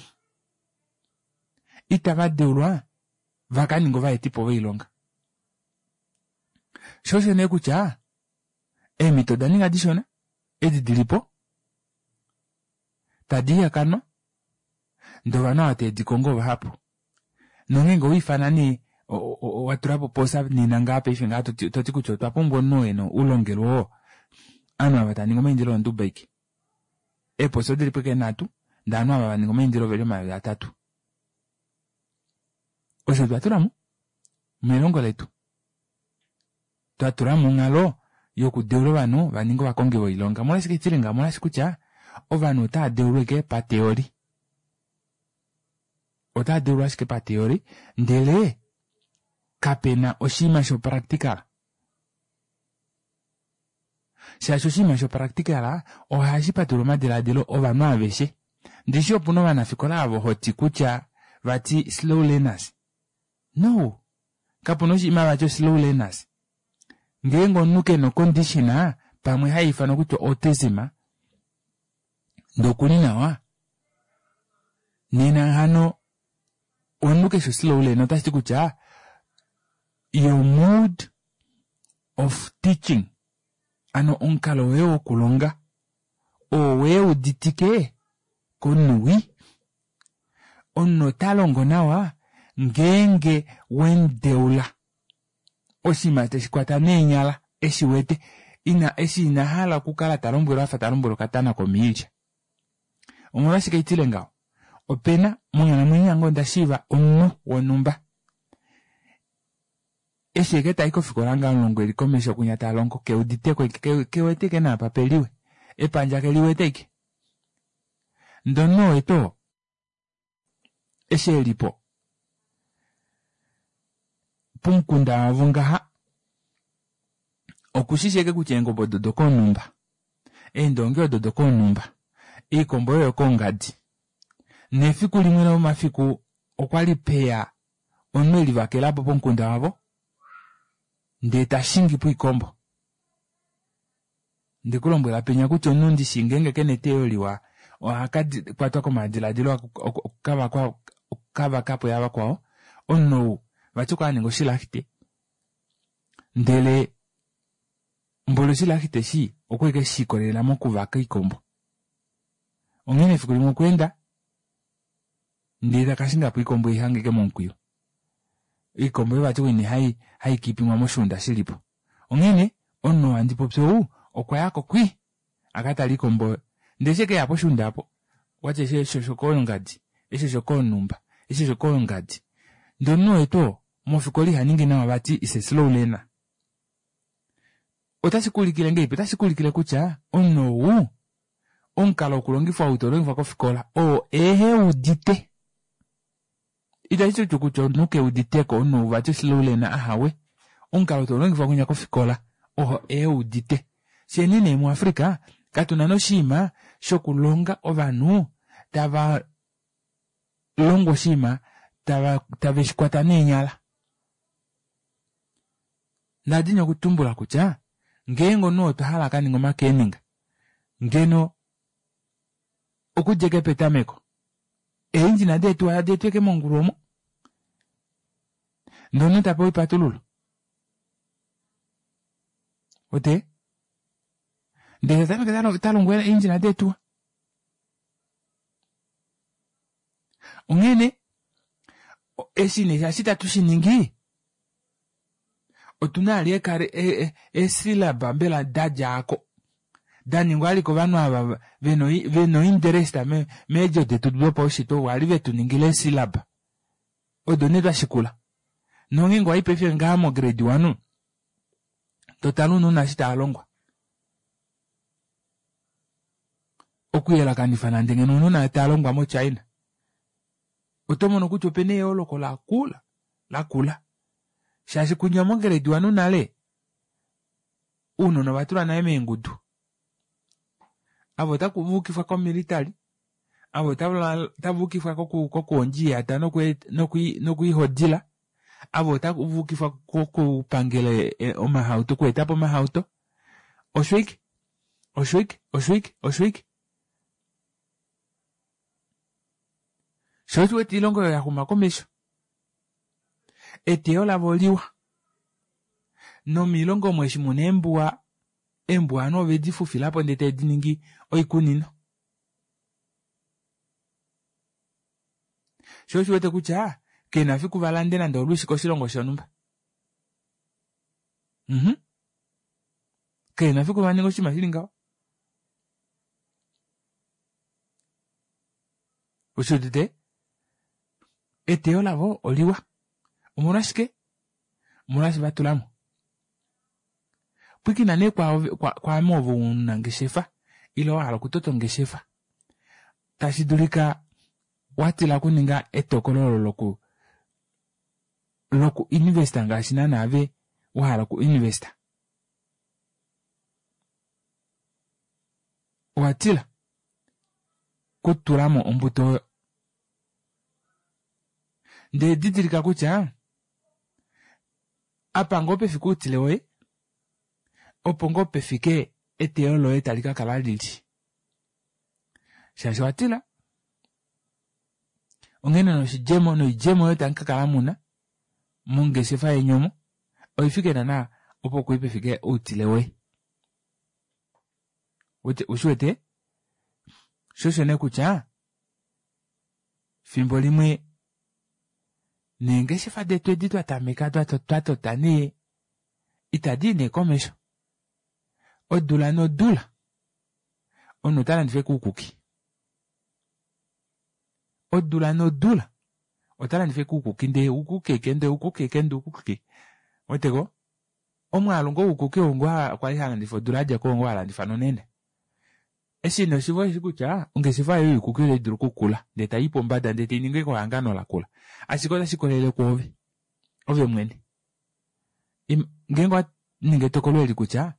itava deulwa va ka ninge ovaetipo voilonga. Sho osho nee kutya eemhito oda ninga dishona, edi dilipo tadi ihakanwa, ndee ovanhu ava teve di kongo vahapu. Nongeenge owiifana nee, o-, o-, o-, wa tula po posa nena ngaa paife ngaa toti, toti kutya otwa pumbwa omunhu oo e na oulongelwe oo. Ovanhu ava tava ningi omaindilo onduba aike. Eeposa odili po eke nhatu, Ndee ovanhu ava vaninga omaindilo oveli omayovi atatu. Osho twa tulamo melongo letu. Twa tulamo onghalo yokudeula ovanhu vaninge ovakongi voilonga. Omolwashike shili ngaho? Omolwaashi kutya ovanhu otava deulwa ashike pateori. Otava deulwa ashike pateori ndele kapena oshinima shopractical. Shaashi oshinima shopractical ohashi patulula omadilaadilo ovanhu aveshe. Ndishi opuna ovanafikola avo hoti kutya vati slow learners. No, kapuna oshinima vati slow learners. Ngeenge omunhu kena ocondition pamwe haifanwa kutya autism ndee okuli nawa nena hano omunhu keshe slow learner otashiti kutya your mode of teaching ano omukalo woye wokulonga oo weuditike komunhu wii. Omunhu ota longo nawa ngeenge wemudeula oshinima teshi kwata neenyala eshi wete ina eshi ina hala okukala talombwelwa afa talombwelwa okatana komiilya. Omolwashike itile ngaho? Opena monghalamwenyo yange onda shiiva omunhu wonhumba eshi eke tai kofikola ngaho omulongo eli komesho kunya talongo keuditeko kewete ike naapa peliwe epandja keliwete ike. Ndee omunhu oo eto eshi elipo pomukunda wavo ngaha okushishi ashike kutya eengobe odo dokoonhumba, eendongi odo dokoonhumba, oikombo oyo yokoongadi. Nefiku limwe lomomafiku okwali peya omunhu elivakelapo pomukunda wavo ndee tashingi poikombo. Ndekulombwela penya kutya omunhu ndishi ngeenge kena eteyo liwa ohaka kwatwa komadilaadilo okukavakapo yavakwao. Omunhu ou vati okwa aninga oshilahite ndele mboli oshilahite eshi okwali ashike shiikolelela mokuvaka oikombo. Onghene efiku limwe okwa enda ndee takashingapo oikombo eihanga ashike momukwiyu. Oikombo oyo vati oine hai haikipimwa moshuunda shilipo. Onghene omunhu oo handi popi ou okwayako kwii akatale oikombo oyo. Ndee eshi ekeya poshuunda aapo okwati eshi oshokoongadi, eshi oshokoonhumba, eshi oshokoongadi. Ndee omunhu oo etu oo mofikola ihaningi nawa vati is a slow learner. Otashi kuulikile ngahelipi? Otashi kuulikile kutya omunhu ou omukalo wokulongifwa ou taulongifwa kofikola oo eheudite. Itashi ti kutya omunhu keuditeko omunhu ou vati slow learner ahawe. Omukalo taulongifwa kwinya kofikola oo eheudite. Fyeni nee muAfrica katuna noshinima shokulonga ovanhu tava longwa oshinima tava tave shikwata neenyala. Ndadini okutumbula kutya ngeenge omunhu otwa hala akaninge omakeninga ngeno okudja eke petameko eengine deetuwa tadi etwa eke mongulu omo ndee omunhu tapewa oipatululo ote ndee tatameke talongwa eengine deetuwa. Onghene eshi nee shaashi itatu shiningi otuna vali eesyllaba mbela dadjaako daningwa vali kovanhu ava vena interest meedjo detu dopaushitwe kwali vetuningila eesyllaba odo nee twashikula. Nongeenge owayi paife ngaha mo grade one totale ounona eshi tavalongwa okuyelakanifa nande ngeno ounona tavalongwa mo China oto mono kutya opena eyooloko lakula lakula shaashi kunya mo grade one nale ounona ovatulwa nale meengudu. Ava otavayukifwa komilitary, ava otavayukifwa kokuhondja oiyata nokwiihodila, ava otavayukifwa kokupangela omahauto okweetapo omahauto. Osho ashike, osho ashike, osho ashike, osho ashike. Shoo osho uwete oilongo oyo yaxuma komesho eteyo lavo oliwa nomilongo omo eshi muna eembuwa, eembuwa ovanhu ovedi fufilapo ndee tave diningi oikunino. Shoo osho uwete kutya kena fiku valande nande olwiishi koshilongo shonhumba. Mhm kena fiku vaninge oshinima shili ngaho. Ushiudite? Eteyo lavo oliwa. Omolwashike? Omolwaashi va tula mo. Pwiikina nee kwaame ove omunangeshefa ile wa hala okutota ongeshefa. Tashi dulika wa tila okuninga etokolo olo loku loku investa ngaashi naana ove wa hala oku investa. Owa tila kutula mo ombuto oyo. Ndee didilika kutya apa ngoo pefike outile woye opo ngoo pefike eteyo loye tali ka kala lili. Shaashi owa tila onghene noshidjemo noidjemo oyo tamu ka kala muna mongeshefa yeni omo oifike naana opo kwii pefike outile woye. Ushiwete? Sho osho nee kutya fimbo limwe neengeshefa detu edi twa tameka twa tota nee itadi i nee komesho. Odula nodula omunhu ota landifa ashike oukuki. Odula nodula ota landifa ashike oukuki ndee oukuki ashike ndee oukuki ashike ndee oukuki ashike. Weteko? Omwaalu ngoo woukuki oo ngoo kwali halandifa odula yadjako oo ngoo halandifa nonena. Eshi nee oshiva osheshi kutya ongeshefa yoye youkuki otai dulu okukula ndee tai pombada ndee tainingi ehangano lakula. Ashike otashi kolele kwoove. Ove mwene. Ngeenge owa ninga etokolo eli kutya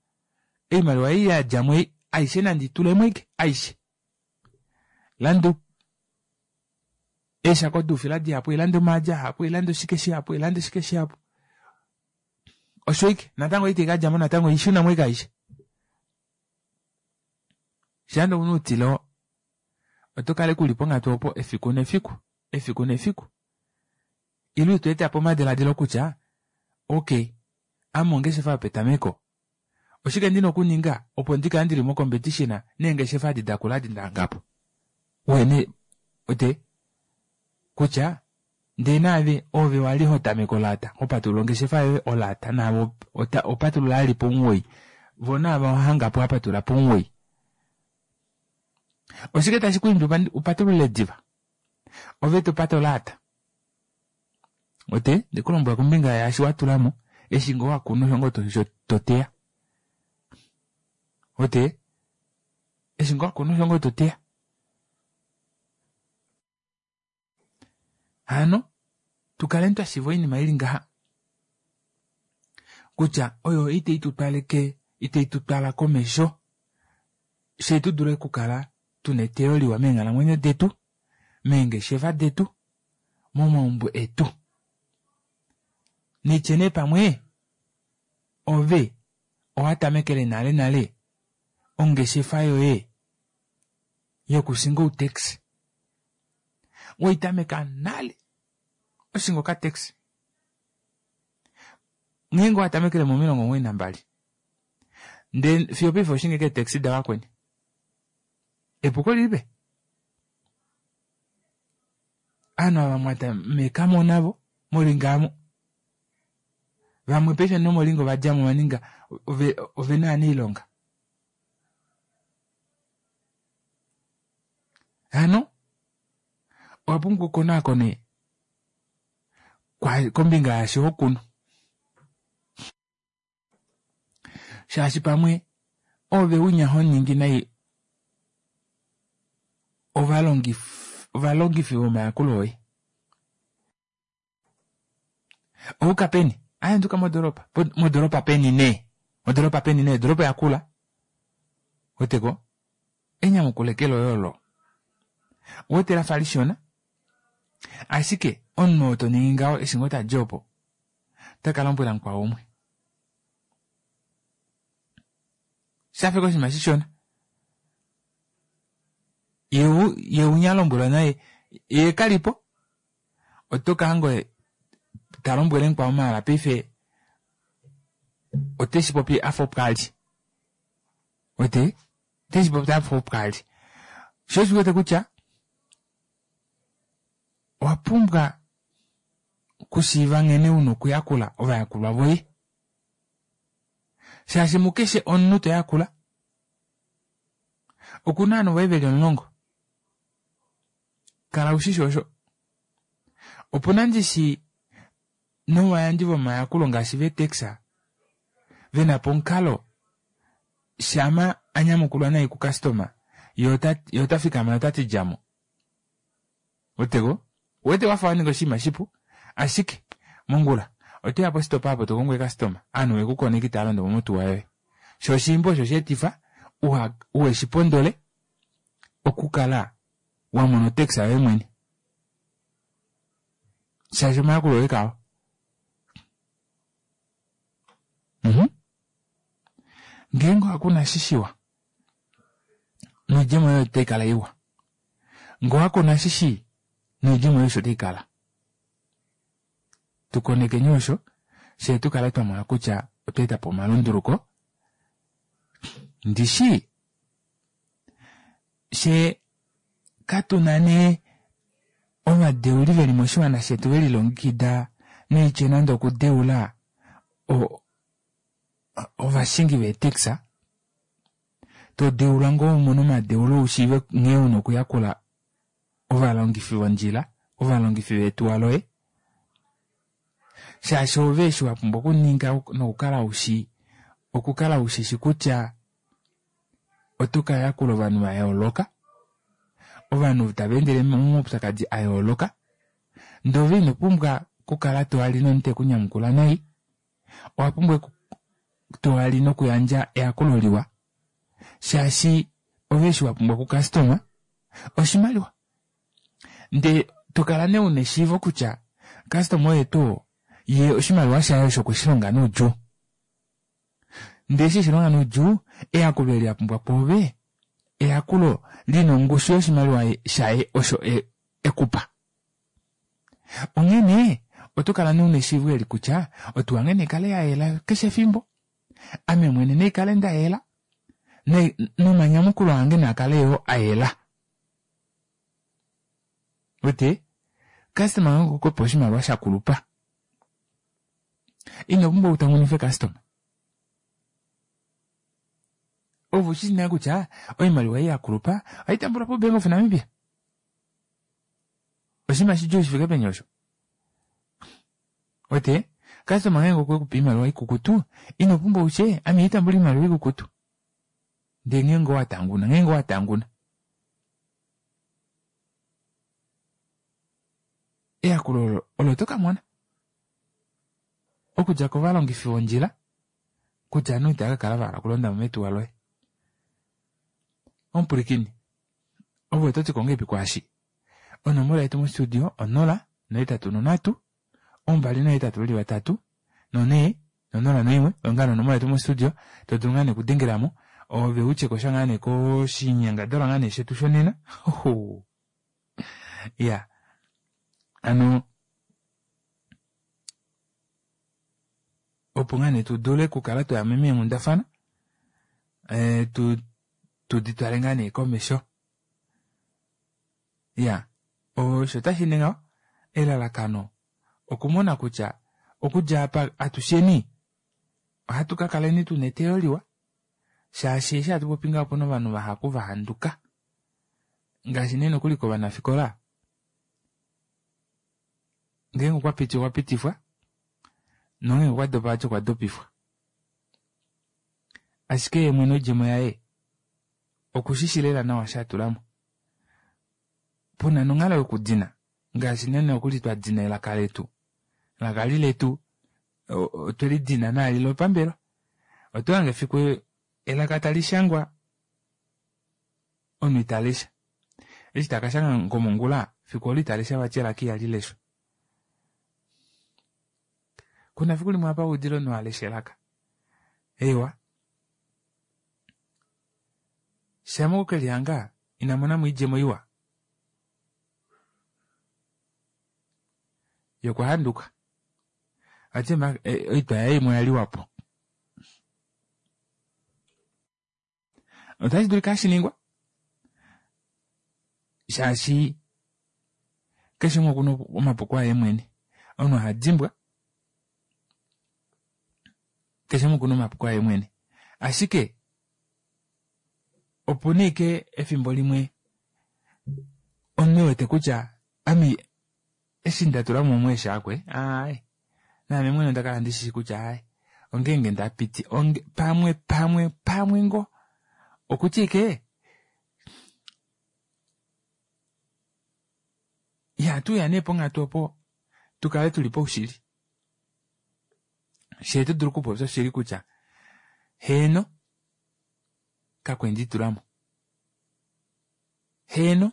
oimaliwa ei yadjamo ei aishe nandi itulemo ashike aishe. Landa eeshako doufila dihapu, landa omaadi ahapu, landa oshike shihapu, landa oshike shihapu. Osho ashike natango itai kadjamo natango ishunamo ashike aishe. Shaanda una outile oo oto kala uli ponghatu opo efiku nefiku, efiku nefiku. Ile ito eta po omadiladilo kutya okay, ame ongeshefa yopetameko. Oshike ndina okuninga opo ndikale ndili mo competition neengeshefa adi dakula adi ndahangapo. Wene ote kutya ndee naave ove wali ho tameke olaata hopatulula ongeshefa yoye olaata naave opatulula ali pomuwoi vo naave ohangapo wapatulula pomuwoi. Oshike tashi ku imbi upatulule diva? Ove topata olaata. Ote ndikulombwela kombinga yaashi watulamo eshi ngoo wakuna osho ngoo toteya. Ote eshi ngoo wakuna osho ngoo toteya. Hano tukaleni twashiiva oinima ili ngaha kutya oyo itai tutwaleke itai tutwala komesho fye tudule okukala tuna eteyo liwa meenghalamwenyo detu, meengeshefa detu, momaumbo etu. Nitye nee pamwe ove owa tamekele nale nale ongeshefa yoye yokushinga outaxi. Waitameka nale oshinga okataxi. Ngeenge watamekele momilongo omugoyi nambali ndee fiyo paife oshinga ashike eetaxi davakweni. Epuko lilipe? Ovanhu ava mwatamekamo navo molinga aamo. Vamwe paife nomolinga ovadjamo ovaninga ovena ovanailonga. Hano owa pumbwa okukonaakone kombinga yaashi hokunu. Shaashi pamwe ove unya honingi nai ovalongifi vomayakulo oye. Ouka peni? Aaye nduka modoropa. Modoropa peni nee? Modoropa peni nee? Odoropa yakula. Weteko? Enyamukulo eke loye olo. Owete lafa lishona ashike omunhu oo toningi ngaho eshi ngoo tadi opo otaka lombwela mukwao umwe. Shafika oshinima shishona. Ye unya alombwelwa naye ye kalipo oto kahanga ta lombwele mukwao maala paife oteshi popi afa opo ali. Wete? Oteshi popi afa opo ali. Sho osho wete kutya owa pumbwa okushiiva nghene una okuyakula ovayakulwa voye. Shaashi mukeshe omunhu toyakula okuna ovanhu voye veli omulongo. Kala ushishi osho. Opuna ndishi novayandji vomayakulo ngaashi veetaxi vena po omukalo shama anyamukulwa nai kukastoma ye ota fikama notati djamo. Weteko? Uwete wafa waninga oshinima shipu ashike mongula otoya positopa apo tokongo eekastoma ovanhu vekukoneka itava londo motuwa yoye. Shoo oshiimba osho sheetifa uha uheshipondole okukala wamona otaxi yoye mwene shaashi omayakulo oye kao. Mhm. Ngeenge ohakuna eshi shiwa noidjemo yoye otai kala iwa. Ngee owakuna eshi shii noidjemo yoye osho taikala. Tukonekeni osho fyee tukale twamona kutya otwa etapo omalunduluko. Ndishi fyee katuna nee ovadeuli veli moshiwana shetu velilongekida noitya nande okudeula ovashingi veetaxi todeulwa ngoo umone omadeulo ushiive nghee una okuyakula ovalongifi vondjila ovalongifi vetuwa loye shaashi ove eshi wapumbwa okuninga nokukala ushi okukala ushishi kutya oto kayakula ovanhu vayooloka ovanhu tava endele momaupyakadi ayooloka ndee ove ino pumbwa okukala toali nomunhu tekunyamukula nai owapumbwa toali nokuyandja eyakulo liwa shaashi ove eshi wapumbwa kukastoma oshimaliwa ndee tokala nee una eshiivo kutya kastoma oye tuu ye oshimaliwa shaye osho okweshilonga noudjuu ndee eshi eshilonga noudjuu eyakulo eli apumbwa kwoove eyakulo lina ongushu yoshimaliwa shaye osho ekupa. Onghene oto kala nee una eshiivo eli kutya otuwa nghene ikale yayela keshe efimbo ame mwene naikale ndayela nomanyamukulo ange naakale yoo ayela. Wete customer ngeenge okwekupe oshimaliwa shakulupa ino pumbwa utamunife customer. Ove ushi nale kutya oimaliwa ei yakulupa ohaitambulwa po Bank of Namibia. Oshinima shidjuu shifike peni osho? Wete customer ngeenge okwekupe oimaliwa ikukutu ino pumbwa utye ame itambula oimaliwa ikukutu ndee ngeenge owatanguna ngeenge owatanguna eyakulo olo tokamona okudja kovalongifi vondjila kutya ovanhu itava kakala vahala okulondamo metuwa loye. Omupwilikini ove ototi ngahelipi kwaashi onomola yetu mostudio onola nohetatu nonhatu ombali nohetatu veli vatatu nonhee nonola noimwe oyo ngaa nee onomola yetu mostudio todulu ngaa nee okudengelamo ove utyekosha ngaa nee koshinyangadalwa ngaa nee shetu shonena. Iya hano opo ngaa nee tudule okukala twayamo meenghundafana tudi twale ngaa nee komesho. Iya osho otashi ngaho elalakano okumona kutya okudja apa atusheni ohatu kakaleni tuna eteyo liwa shaashi eshi hatu popi ngaho opuna ovanhu vahapu vahanduka ngaashi nee nokuli kovanafikola ngeenge okwapiti okwapitifwa nongeenge okwadopa vati okwa dopifwa. Ashike yee mwene oidjemo yaye okushishi lela nawa eshi atulamo. Puna nonghalo yokudina ngaashi nee nokuli twadina elaka letu elaka eli letu otwelidina naali lopambelwa. Otohange efiku elaka talishangwa omunhu italesha eshi takashanga ngomongula fiku olo italesha vati elaka ihali leshwa. Kuna efiku limwe apa waudile omunhu alesha elaka. Eewa shama okukelihanga inamonamo oidjemo iwa ye okwahanduka vati oitwa yaye imwe oyaliwapo. Otashi dulika hashiningwa shaashi keshe umwe okuna omapuko aye mwene. Omunhu ohadimbwa keshe umwe okuna omapuko aye mwene. Ashike opuna ashike efimbo limwe Omunhu wete kutya ami eshi nda tula mo omweeshaakwe aaye naame mwene onda kala ndishi kutya aaye ongeenge ndapiti onge pamwe pamwe pamwe ngo okutya ike ihatuya nee ponghatu opo tukale tuli paushili shee tudulu okupopya oshili kutya heeno kakwe nditulamo heeno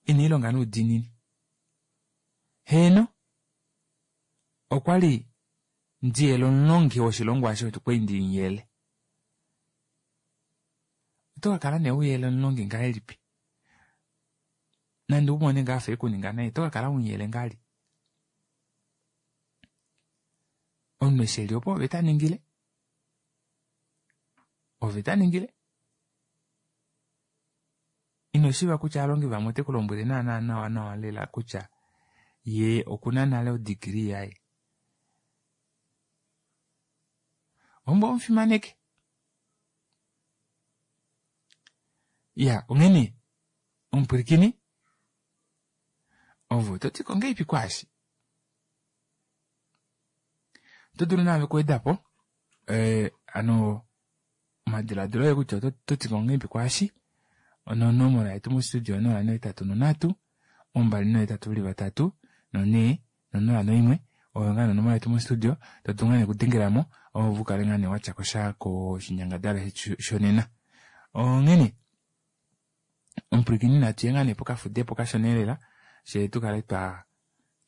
iniilonga noudiinini heeno okwali ndiyele omulongi woshilongwa osho kwali ndimuyele oto kakala nee uyele omulongi ngahelipi nande umone ngaa afa ekuninga nai oto kakala umuyele ngahelipi omunhu eshi eli opo ove taningile ove taningile ino shiiva kutya ovalongi vamwe ote kulombwele naana nawa nawa lela kutya yee okuna nale odegree yaye ombo omufimaneke iya onghene omupwilikini ove ototiko ngahelipi kwaashi oto dulu naave okuwedapo ee hano omadilaadilo oye kutya ototiko ngahelipi kwaashi onomola yetu mo studio onola nohetatu nonhatu ombali nohetatu veli vatatu nonhee nonola noimwe oyo ngaa onomola yetu mo studio todulu ngaa nee okudengelamo ove ukale ngaa nee watyakosha koshinyangadalwa shetu shonena onghene omupwilikini natuye ngaa nee pokafudepo kashona lela fyee tukale twa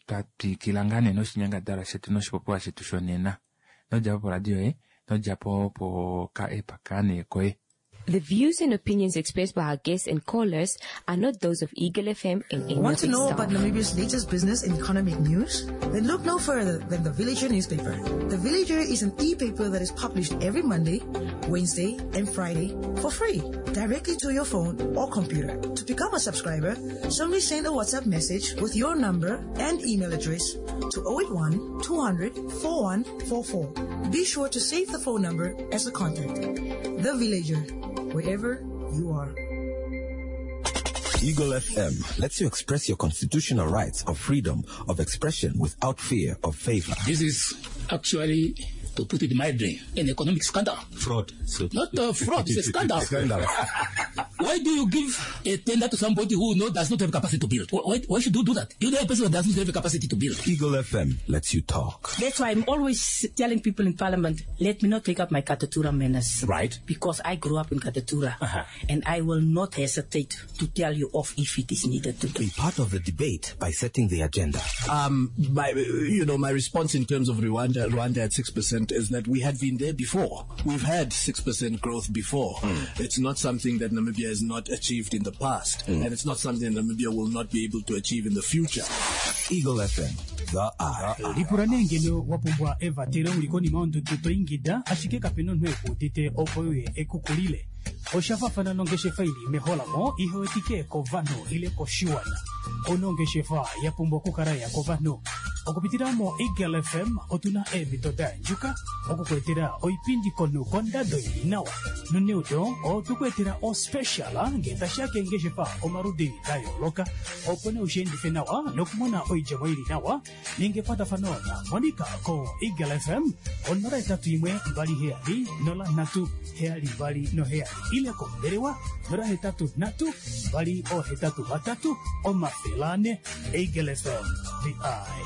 twatwikila ngaa nee noshinyangadalwa shetu noshipopiwa shetu shonena inodjapo poradio yoye inodjapo poka app kaa koye. The views and opinions expressed by our guests and callers are not those of Eagle F M and any Want of to its know staff. about Namibia's latest business and economic news? Then look no further than The Villager newspaper. The Villager is an e-paper that is published every Monday, Wednesday, and Friday for free, directly to your phone or computer. To become a subscriber, simply send a WhatsApp message with your number and email address to oh eight one, two hundred, four one four four. Be sure to save the phone number as a contact. The Villager, wherever you are. Eagle F M lets you express your constitutional rights of freedom of expression without fear of favor. This is actually, to put it mildly, an economic scandal. Fraud. So Not a fraud, it's a scandal. Scandal. Why do you give a tender to somebody who no, does not have capacity to build? Why, why should you do that? You know a person who does not have capacity to build. Eagle F M lets you talk. That's why I'm always telling people in Parliament, let me not take up my Katutura manners. Right. Because I grew up in Katutura. Uh-huh. And I will not hesitate to tell you off if it is needed to do. Be part of the debate by setting the agenda. Um, my, you know, my response in terms of Rwanda, Rwanda at six percent is that we had been there before. We've had six percent growth before. Mm. It's not something that Namibia has not achieved in the past, Mm. and it's not something Namibia will not be able to achieve in the future. Eagle F M, the eye. Lipula nee ngeno wa pumbwa evatelo uli konima yondudu to ingida, ashike kapena omunhu ekuudite opo uye ekukulile. Osha fafana nongeshefa ili meholamo ihewetike kovanhu ile koshiwana. Onongeshefa ya pumbwa okukala ya kovanhu. Okupitila mo Eagle F M otuna eemhito da andjuka okukwetela oipindi komunhu kondado ili nawa. Noneudo otukwetela ospecial ngee tashiya keengeshefa omaludi da yooloka opo nee ushiendife nawa nokumona oidjemo ili nawa ninga ekwatafano na Monica ko Eagle F M onola etatu imwe mbali heyali nola nhatu heyali mbali noheyali ile kombelewa nola hetatu nhatu mbali ohetatu vatatu omafele ane. Eagle F M, the eye.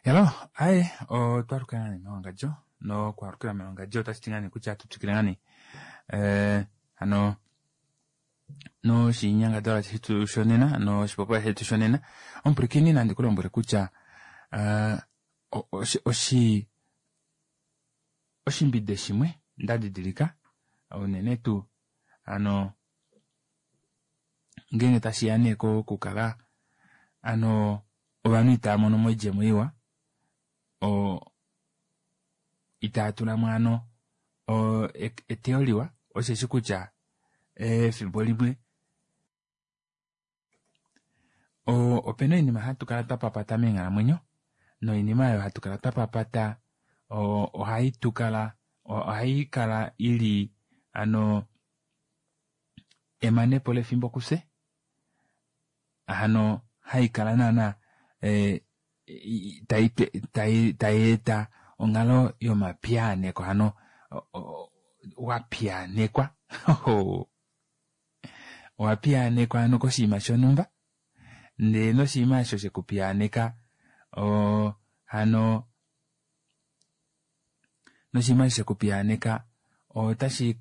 Hello, aye, otwalukila ngani mewangadjo nokwalukila mewangadjo otashi ti ngani kutya tutwikile ngani eh, hano noshinyangadalwa shetu shonena noshipopiwa shetu shonena omupwilikini nandi kulombwele kutya, eh, oshi, oshi, oshimbide shimwe ndadidilika unene tuu ano ngeenge tashiya nee kokukala ano ovanhu itava mono mo oidjemo iwa o itava tula mo ano o, eteyo liwa osheshi kutya efimbo limwe o, opena oinima hatu kala twa papata meenghalamwenyo noinima oyo hatu kala twa papata o, ohai tukala, ohai kala ili ano emanepo lefimbo kufye, hano haikala naana e, tai eta onghalo yomapiyaaneko, hano wa piyaanekwa owa piyaanekwa hano koshinima shonhumba, ndee noshinima osho shekupiyaaneka hano noshinima osho shekupiyaaneka otashi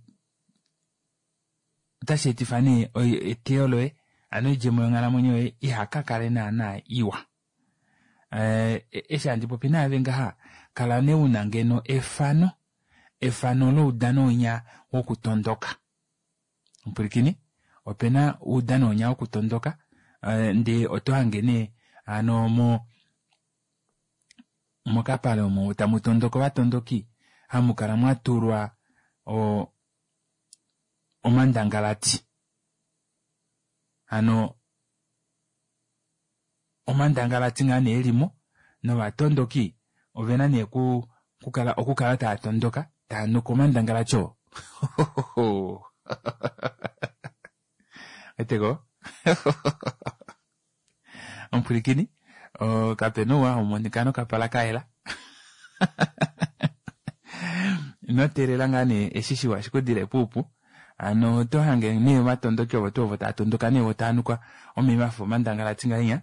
otashi etifa nee eteyo loye, hano oidjemo yonghalamwenyo yoye ihakakale naana iwa. Eshi handi popi naave ngaha, kala nee una ngeno efano efano loudano winya wokutondoka. Mupwilikini, opena oudano winya wokutondoka, ndee oto hange nee hano mo mokapale omo tamu tondoka ovatondoki hamukala mwatulwa omandangalati, hano omandangalati ngaa nee elimo novatondoki ovena nee okukala okukala tava tondoka tava nuka omandangalati oo. Weteko omupwilikini kapena ouwa haumonika nokapala kayela. Ino teelela ngaa nee eshi shiwa shikudile puupu, hano oto hange nee ovatondoki ovo tuu ovo tava tondoka nee vo tava nuka omeva afa omandangalati ngahenya,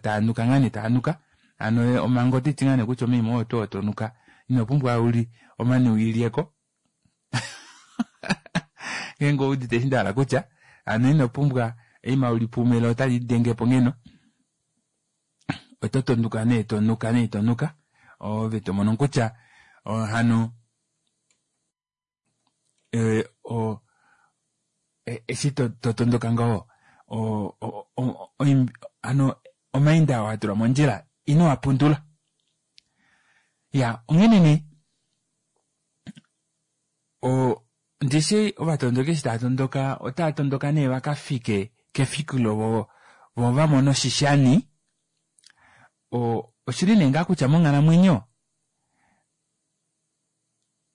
tava nuka ngaa nee tava nuka, hano manga otiti ngaa nee kutya omaima oo tuu oo tonuka ino pumbwa uli omane ulilyeko. Ngeenge owuudite eshi ndahala kutya, hano ino pumbwa eima ulipume lo otali lidengepo ngeno, oto tondoka nee tonuka nee tonuka ove tomono kutya hano eshi totondoka ngaho hano omainda oo atulwa mondjila ino apundula. Iyaa onghene nee ndishi ovatondoki eshi tava tondoka otava tondoka nee vakafike kefikilo vo vamone oshishani. Oshili nee ngaa kutya monghalamwenyo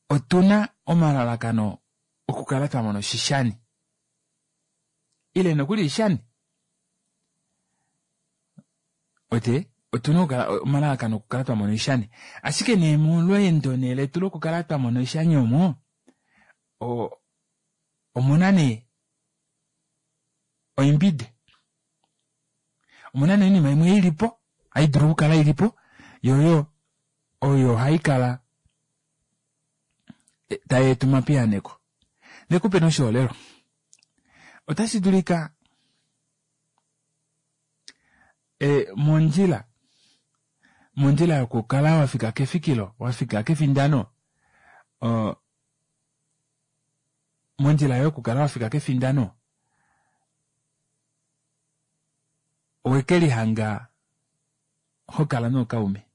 otuna omalalakano okukala twamona oshishani ile nokuli oishani, ote otuna okukala omalalakano okukala twamona oishani, ashike nee molweendo nee letu lokukala twamona oishani omo omuna nee oimbide, omuna nee oinima imwe ilipo haidulu okukala ilipo yoyo oyo haikala tayeeta omapiyaaneko. Ndikupe nee oshiholelwa, otashi dulika mondjila mondjila yokukala wafika kefikilo wafika kefindano, mondjila yokukala wafika kefindano owekelihanga hokala nookaume,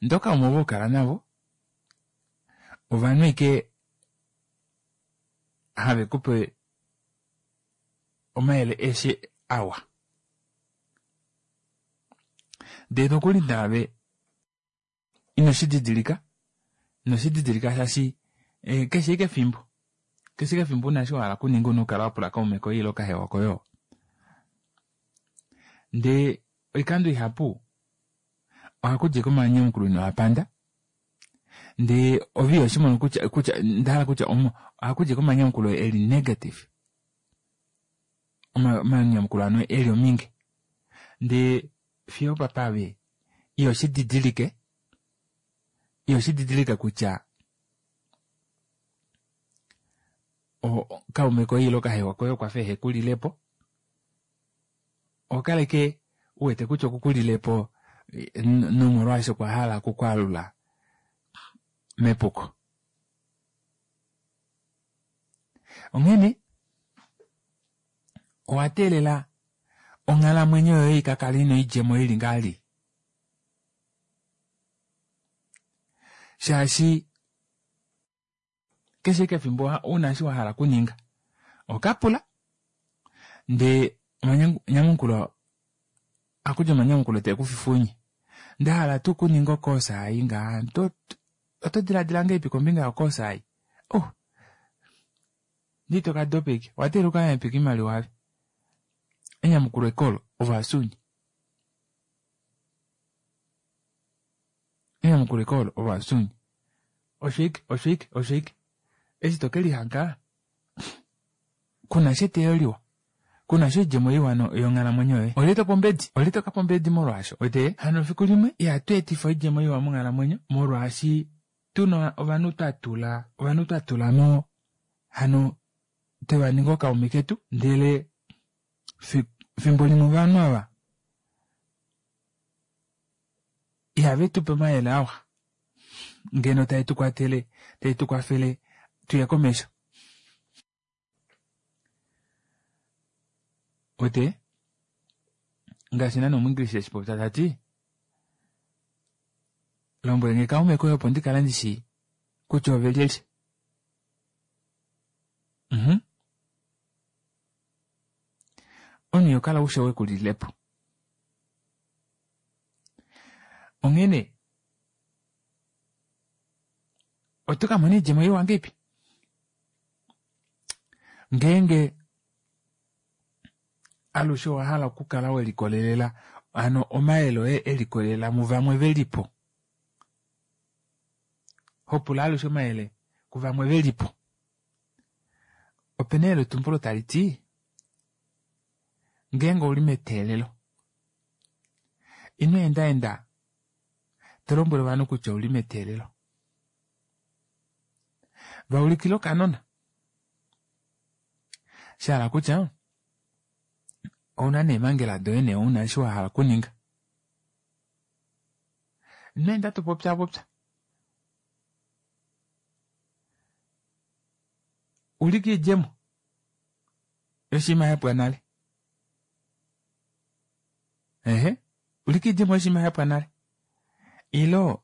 ndee ookaume ovo hokala navo ovanhu ashike havekupe omayele eshi awa, ndee nokuli naave inoshididilika inoshididilika shaashi keshe ashike efimbo keshe ashike efimbo una eshi wahala okuninga una okukala wapula kaume koye ile kahewa koye oo. Ndee oikando ihapu ohakudi ashike omanyamukulo inoapanda, ndee ove ihoshimono kutya kutya ndahala kutya ohakudi ashike omanyamukulo eli negative, omanyamukulo hano eli ominge, ndee fiyo opapa ove ihoshididilike ihoshididilike kutya kaume koye ile kahewa koye okwafa ehekulilepo, ohokala ashike uwete kutya okukulilepo nomolwaasho okwa hala okukwaalula mepuko. Onghene owa teelela onghalamwenyo yoye ikakale ina oidjemo ili ngaali, shaashi keshe ashike efimbo una eshi wahala okuninga ohokapula ndee omanyamukulo ohakudi omanyamukulo teekufifa ounye. Ndahala tuu okuninga okoosa ei ngaha oto dilaadila ngahelipi kombinga yokoosa ei? Oh Ndee ito ka dopa ashike. Owa teelela ukale hepeka oimaliwa ave. Enyamukulo ekolo, ovasuunye. Enyamukulo ekolo, ovasuunye. Osho ashike, osho ashike, osho ashike. Eshi to ke lihanga, kuna sha eteyo liwa. Kuna sha oidjemo iwa yonghalamwenyo yoye. Olye to pe ombedi? Olye to ka pa ombedi molwaasho? Wete? Hano efiku limwe, ihatu etifa oidjemo iwa monghalamwenyo, molwaashi tuna ovanhu twa tula, ovanhu twa tula mo, hano twe va ninga ookaume ketu, ndele fimbo limwe ovanhu ava ihave tu pe omayele awa ngeno tae tu kwatele, tae tu kwafele tuye komesho. Wete? Ngaashi nana omuEnglish eshi popya ta ti, lombwele nge kaume koye opo ndi kale ndi shii kutya ove lyelye. Mhm. Omunhu iho kala ushe we ku lile po. Onghene oto ka mona oidjemo iwa ngeipi ngeenge alushe owa hala okukala we likolelela hano omayele oye e likolelela muvamwe ve li po. Hopula alushe omayele kuvamwe ve li po. Opena eyeletumbulo tali ti ngeenge ouli meteelelo ino endaenda to lombwele ovanhu kutya ouli meteelelo. Va ulikila okanona. Shahala kutya ouna neemhangela doye nee ouna eshi wa hala okuninga. Ino enda to popya popya. Ulika oidjemo yoshinima yapwa nale. Ehe, ulika oidjemo yoshinima yapwa nale. Ilo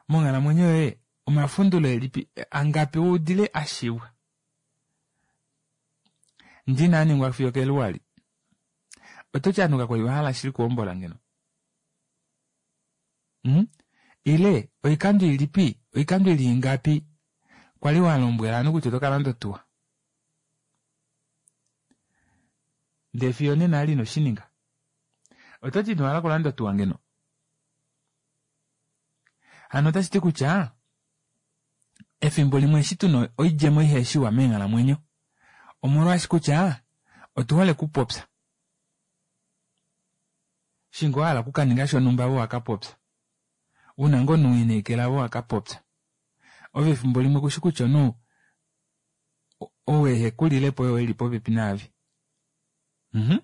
monghalamwenyo yoye omafundulo elipi angapi uudile ashiwa ndina aningwa fiyo keluwali. Oto ti ovanhu kakwali vahala shili okuhombola ngeno. Mm? Ile oikando ilipi, oikando ili ingapi kwali wa lombwela ovanhu kutya oto ka landa otuwa. Ndee fiyo nena ali inoshininga. Oto ti ino hala okulanda otuwa ngeno. Hano otashi ti kutya efimbo limwe eshi tuna oidjemo iheshiwa meenghalamwenyo omolwaashi kutya otu hole okupopya. Shingo wahala okukaninga shonhumba vo wakapopya. Una ngoo omunhu wiineekela vo wakapopya. Ove efimbo limwe kushi kutya omunhu ou ehe kulilepo oye eli popepi naave. Mhm.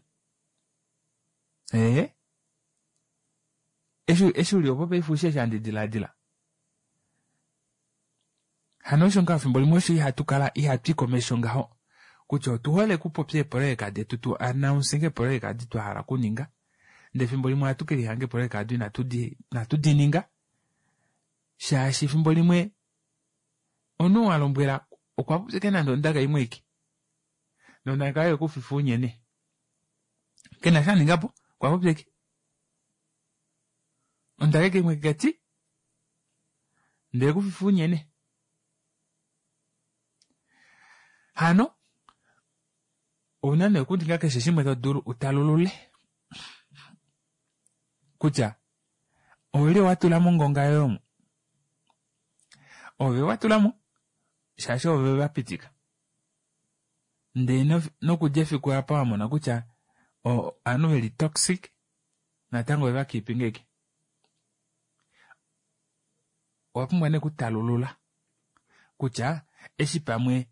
Ee. Eshi eshi uli opo paife ushi eshi handi dilaadila. Hano osho ngaho efimbo limwe osho ihatu kala ihatu i komesho ngaho kutya otu hole okupopya eepoloyeka detu tu announce eepoloyeka edi twa hala okuninga ndee efimbo limwe ohatu ke lihanga eepoloyeka ado inatu di inatu di ninga shaashi efimbo limwe omunhu wa lombwela okwa popya ashike nande ondaka imwe aike nondaka oyo ekufifa unyene kena sha aningapo okwa popya ashike ondaka ashike imwe kati ndee ekufifa unyene. Hano ouna nee okuninga keshe shimwe to dulu utalulule kutya ouli wa tula mongonga yoye omo. Ove wa tula mo shaashi ove va pitika. Ndee nokudja efiku apa wa mona kutya ovanhu veli toxic natango ove va keepinga ashike. Owa pumbwa nee okutalulula kutya eshi pamwe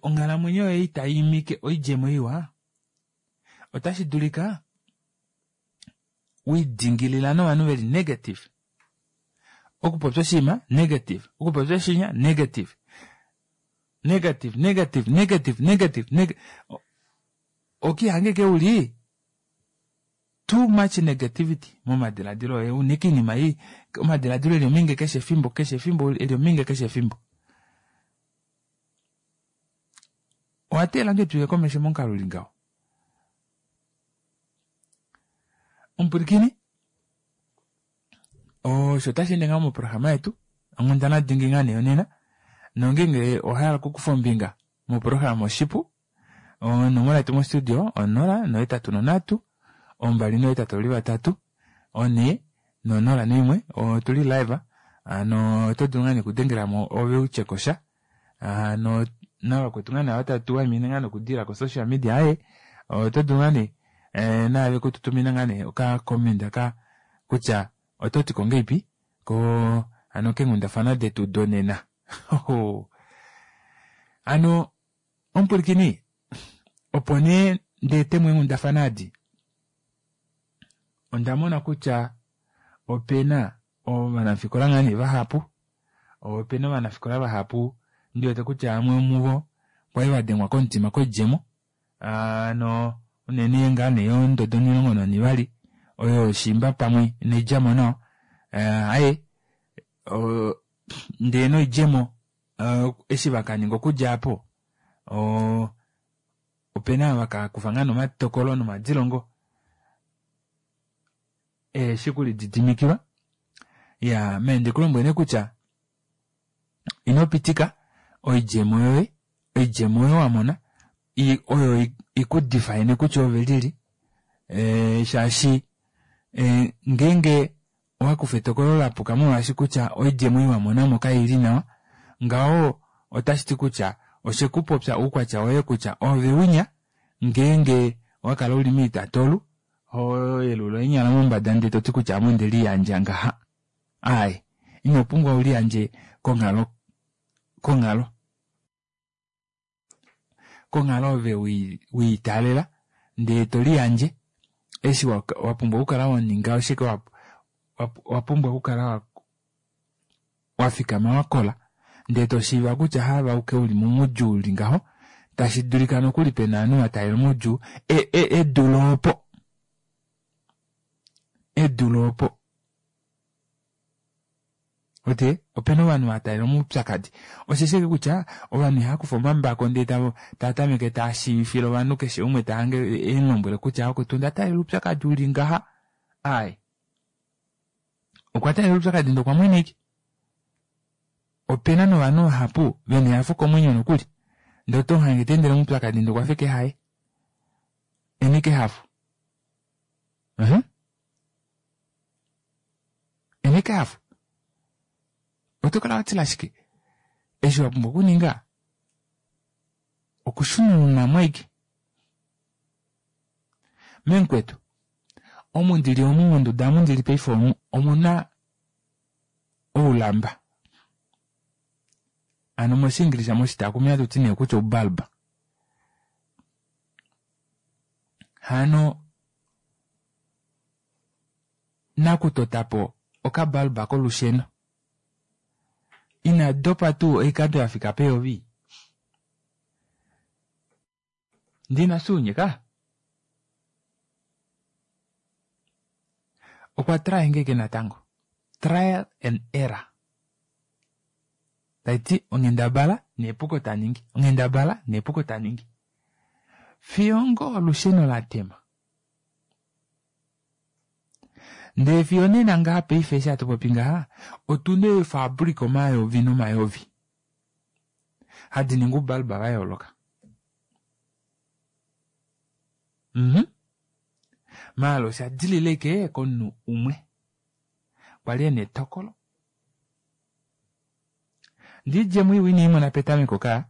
onghalamwenyo yoye itai imike oidjemo iwa otashi dulika widingilila novanhu veli negative. Okupopya oshinima negative, okupopya shinya negative. Negative, negative, negative, negative, neg okihange ke uli too much negativity momadiladilo oye une kiinima ei omadiladilo eli ominge keshe efimbo keshe efimbo eli ominge keshe efimbo. Owa teelela ngee tuye komesho momukalo uli ngaho. Omupwilikini osho tashi ende ngaho moprograma yetu onghundana dingi ngaa nee yonena nongeenge owa hala okukufa ombinga Moprograma oshipu onomola yetu mostudio onola nohetatu nonhatu ombali nohetatu ovali vatatu onhee nonola noimwe otuli live hano oto dulu ngaa nee okudengelamo ove utyekosha hano navakwetu ngaa nee ava tatu waimine ngaa nokudila ko social media aaye oto dulu ngaa nee eh, naave kututumina ngaa nee oka comment ka kutya oto tiko ngeipi ko hano keenghundafana detu donena. Hano omupwilikini opo nee ndeetemo eenghundafana edi onda mona kutya opena ovanafikola ngaa nee vahapu opena ovanafikola vahapu ndiwete kutya vamwe vomuvo kwali vadengwa komutima koidjemo hano unene ngaa nee yondodo onimulongo nonivali oyo shiimba pamwe inaidjamo nawa aaye ndee noidjemo eshi vakaninga okudja aapo oo opena ava vakakufa ngaa nee omatokolo nomadilongo eheshi okulididimikilwa iyaa ame ndikulombwele nee kutya ino pitika oidjemo yoye oidjemo oyo wamona oyo ikudefine kutya oove lyelye shaashi ngeenge owakufa etokolo lapuka molwaashi kutya oidjemo ei wamonamo kaili nawa ngaho otashiti kutya oshekupopya oukwatya woye kutya oove winya ngeenge owakala uli moitatolu hoyelula eenyala mombada ndee toti kutya ame ondeliyandja ngaha aaye ino pumbwa uliyandje konghalo konghalo konghalo ove wiitaalela ndee toliyandje eshi wapumbwa okukala waninga oshike wapumbwa okukala wafikama wakola ndee toshiiva kutya haave auke uli moudjuu uli ngaho tashi dulika nokuli pena ovanhu vataalela omaudjuu edule opo edule opo uwete opena ovanhu vataalela omaupyakadi osheshi ashike kutya ovanhu ihaakufa omambako ndee taatameke taashiivifile ovanhu keshe umwe tahange emulombwele kutya vakwetu onda taalela oupyakadi uli ngaha aaye okwa taalela oupyakadi ndee okwa mwena ashike opena novanhu vahapu vena ehafo komwenyo nokuli ndee otomuhange teendele moupyakadi ndee okwafa ashike haye ena ashike ehafo uh-huh ena ashike ehafo oto kala watila shike eshi wapumbwa okuninga okushununamo ashike memukwetu omu ndili omu monduda omu ndili paife omu omuna oulamba hano moshiingilisha moshitaakumi ohatuti nee kutya oubalba hano nakutotapo okabalba kolusheno ina dopa tuu oikando yafika peyovi ndina suunyeka okwa try ngeke natango trial and error taiti onghendabala nepuko taningi onghendabala nepuko taningi fiyo ngoo olusheno latema ndee fiyo nena ngaha paife eshi hatu popi ngaha otuna eefabrika omayovi nomayovi hadi ningi oubalba vayooloka mhm maala osha dilila ashike komunhu umwe kwali ena etokolo ndee oidjemo iwa ineimona petameko kaa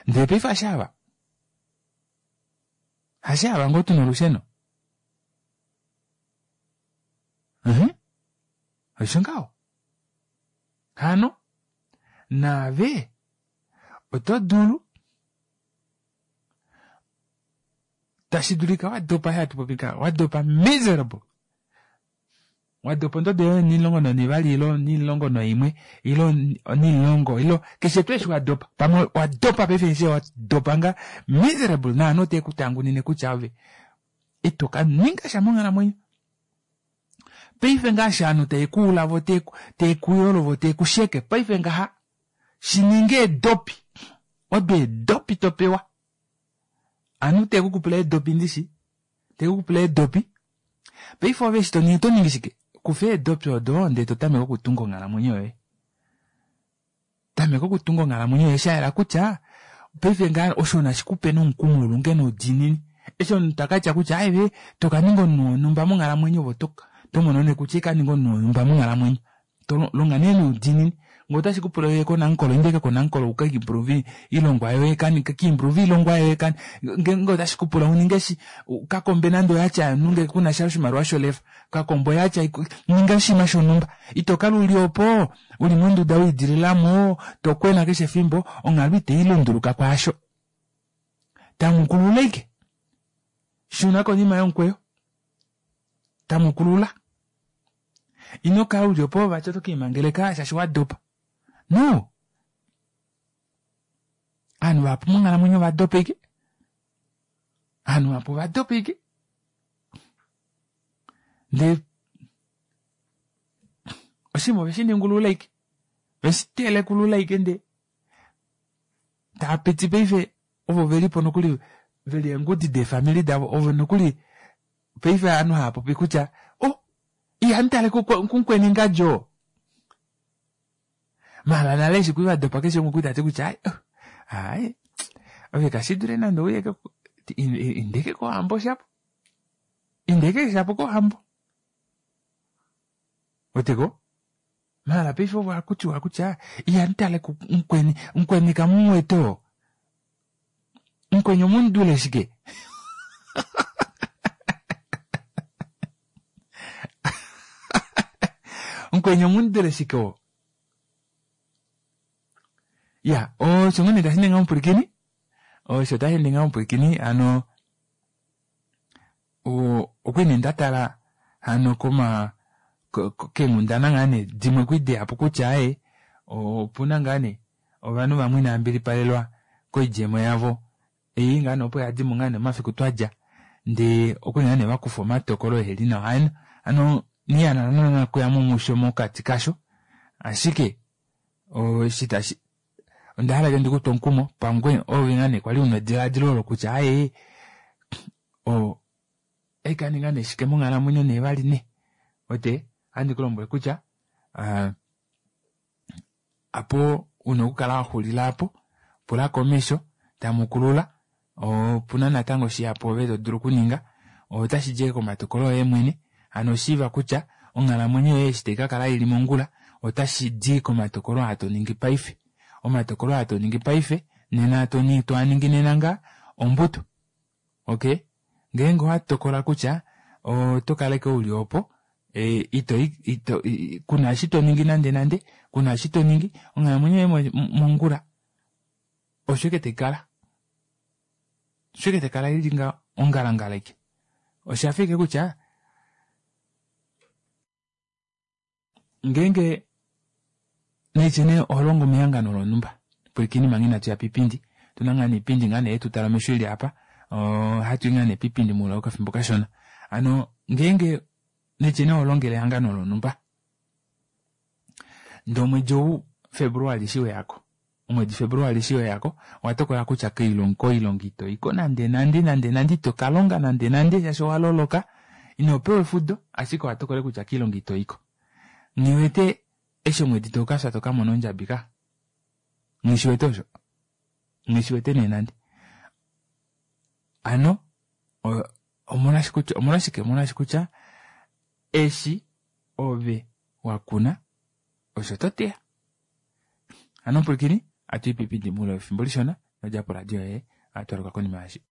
ndee paife hashaava hashaava ngoo tuna olusheno uh-huh osho ngaho hano naave oto dulu tashi dulika wadopa hatu popi ngaha wadopa miserable wadopa ondodo yoye onimulongo nonivali ile onimulongo noimwe ile onimulongo ile keshe tuu eshi wadopa pamwe wadopa paife eshi wadopa nga miserable naanhu otekutangunine kutya ove ito kaninga sha monghalamwenyo paife ngaashi ovanhu tavekuula vo tevekuyolo vo tevekusheke paife ngaha shininga eedopi odo eedopi topewa ovanhu tevekukupula eedopi ndishi tevekukupula eedopi paife ove eshi toningi otoningi shike kufa eedopi odo ndee totameke okutunga onghalamwenyo yoye Tameka okutunga onghalamwenyo yoye shayela kutya paife ngaa osho nashikupe nomukumo ulonge noudiinini. Eshi omunhu takatya kutya aive tokaninga omunhu wonhumba monghalamwenyo ove otomono nee kutya ikaninga omunhu wonhumba monghalamwenyo. Longa nee noudiinini ngee otashi kupula uye koNamcol inda ashike koNamcol uka improve oilongwa yoye ka improve oilongwa yoye ngeenge otashi kupula uninge eshi kakombe nande oyatya yomunhu ngee kunasha oshimaliwa sholefa kakombe oyatya ninga oshinima shonhumba itokala uli opo uli monduda wiidililamo tokwena keshe efimbo onghalo itailunduluka kwaasho tamukulula ashike shuna konima yomukweyo tamukulula inokala uli opo vati oto kiimangeleka shaashi wadopa no ovanhu vahapu monghalamwenyo ovadopa ashike ovanhu vahapu ovadopa ashike ndee oshinima oveshiningulula ashike veshitelekulula ashike ndee taapiti paife ovo velipo nokuli veli eengudi deefamili davo ovo nokuli paife ovanhu haapopi kutya oh ihamutale kumukweni ngadjo maala nale eshi kwali vadopa keshe umwe okwali tati kutya aaye ove kashidule nande ouye indeke kohambo shapo indeke shapo kohambo weteko maala paife ovo ohakutiwa kutya ihamutale mukweni mukweni kamumuwete oo mukweni omumudule shike mukweni omumudule shike oo ya osho ngoo nee tashi ninga omupwilikini osho tashi ninga omupwilikini hano okwali nee ndatala hano koma keenghundana ngaa nee dimwe kwali deyapo kutya aaye opuna ngaa nee ovanhu vamwe inava mbilipalelwa koidjemo yavo ei ngaa nee opo yadimo ngaa nee omafiku twadja ndee okwali ngaa nee vakufa omatokolo eheli nawa hano nghihala naana okuyamo musho mokati kasho ashike eshi tashi ondahala ashike ndikutwe omukumo pamwe ove ngaa nee kwali una edilaadilo olo kutya aaye oikaninga nee shike monghalamwenyo nee vali nee wete ohandi kulombwele kutya apo una okukala waxulila aapo pula komesho tamukulula opuna natango shihapu ove todulu okuninga otashidi ashike komatokolo oye mwene hano shiiva kutya onghalamwenyo yoye eshi taikakala ili mongula otashidi komatokolo aa toningi paife omatokolo aa toningi paife nena toaningi nena ngaa ombuto okay ngeenge owatokola kutya otokala ashike uli opo ito ito kuna eshi toningi nande nande kuna eshi toningi onghalamwenyo yoye mongula osho ashike taikala osho ashike taikala ili ngaho ongalangala ashike oshafa ashike kutya ngeenge naitye nee oholongo mehangano lonhumba pwilikini manga inatuya piipindi otuna ngaa niipindi ngaa nee yetutala omesho ili apa ohatui ngaa nee piipindi moule wokafimbo kashona hano ngeenge naitye nee oholongele ehangano lonhumba ndee omwedi ou Februali eshi weyako omwedi Februali eshi weyako owatokola kutya koilonga itoiko nande nande nande nande itokalonga nande nande shaashi owaloloka inopewa efudo ashike owatokola kutya koilonga itoiko nghiwete eshi omwedi taukafya tokamona ondjabi ka nghishiwete osho nghishiwete nee nande hano omolwashike omolwashi kutya eshi ove wakuna osho toteya hano mupwilikini atuyi piipindi moule wefimbo lishona nodja poradio yoye ohatwaluka konima yaashi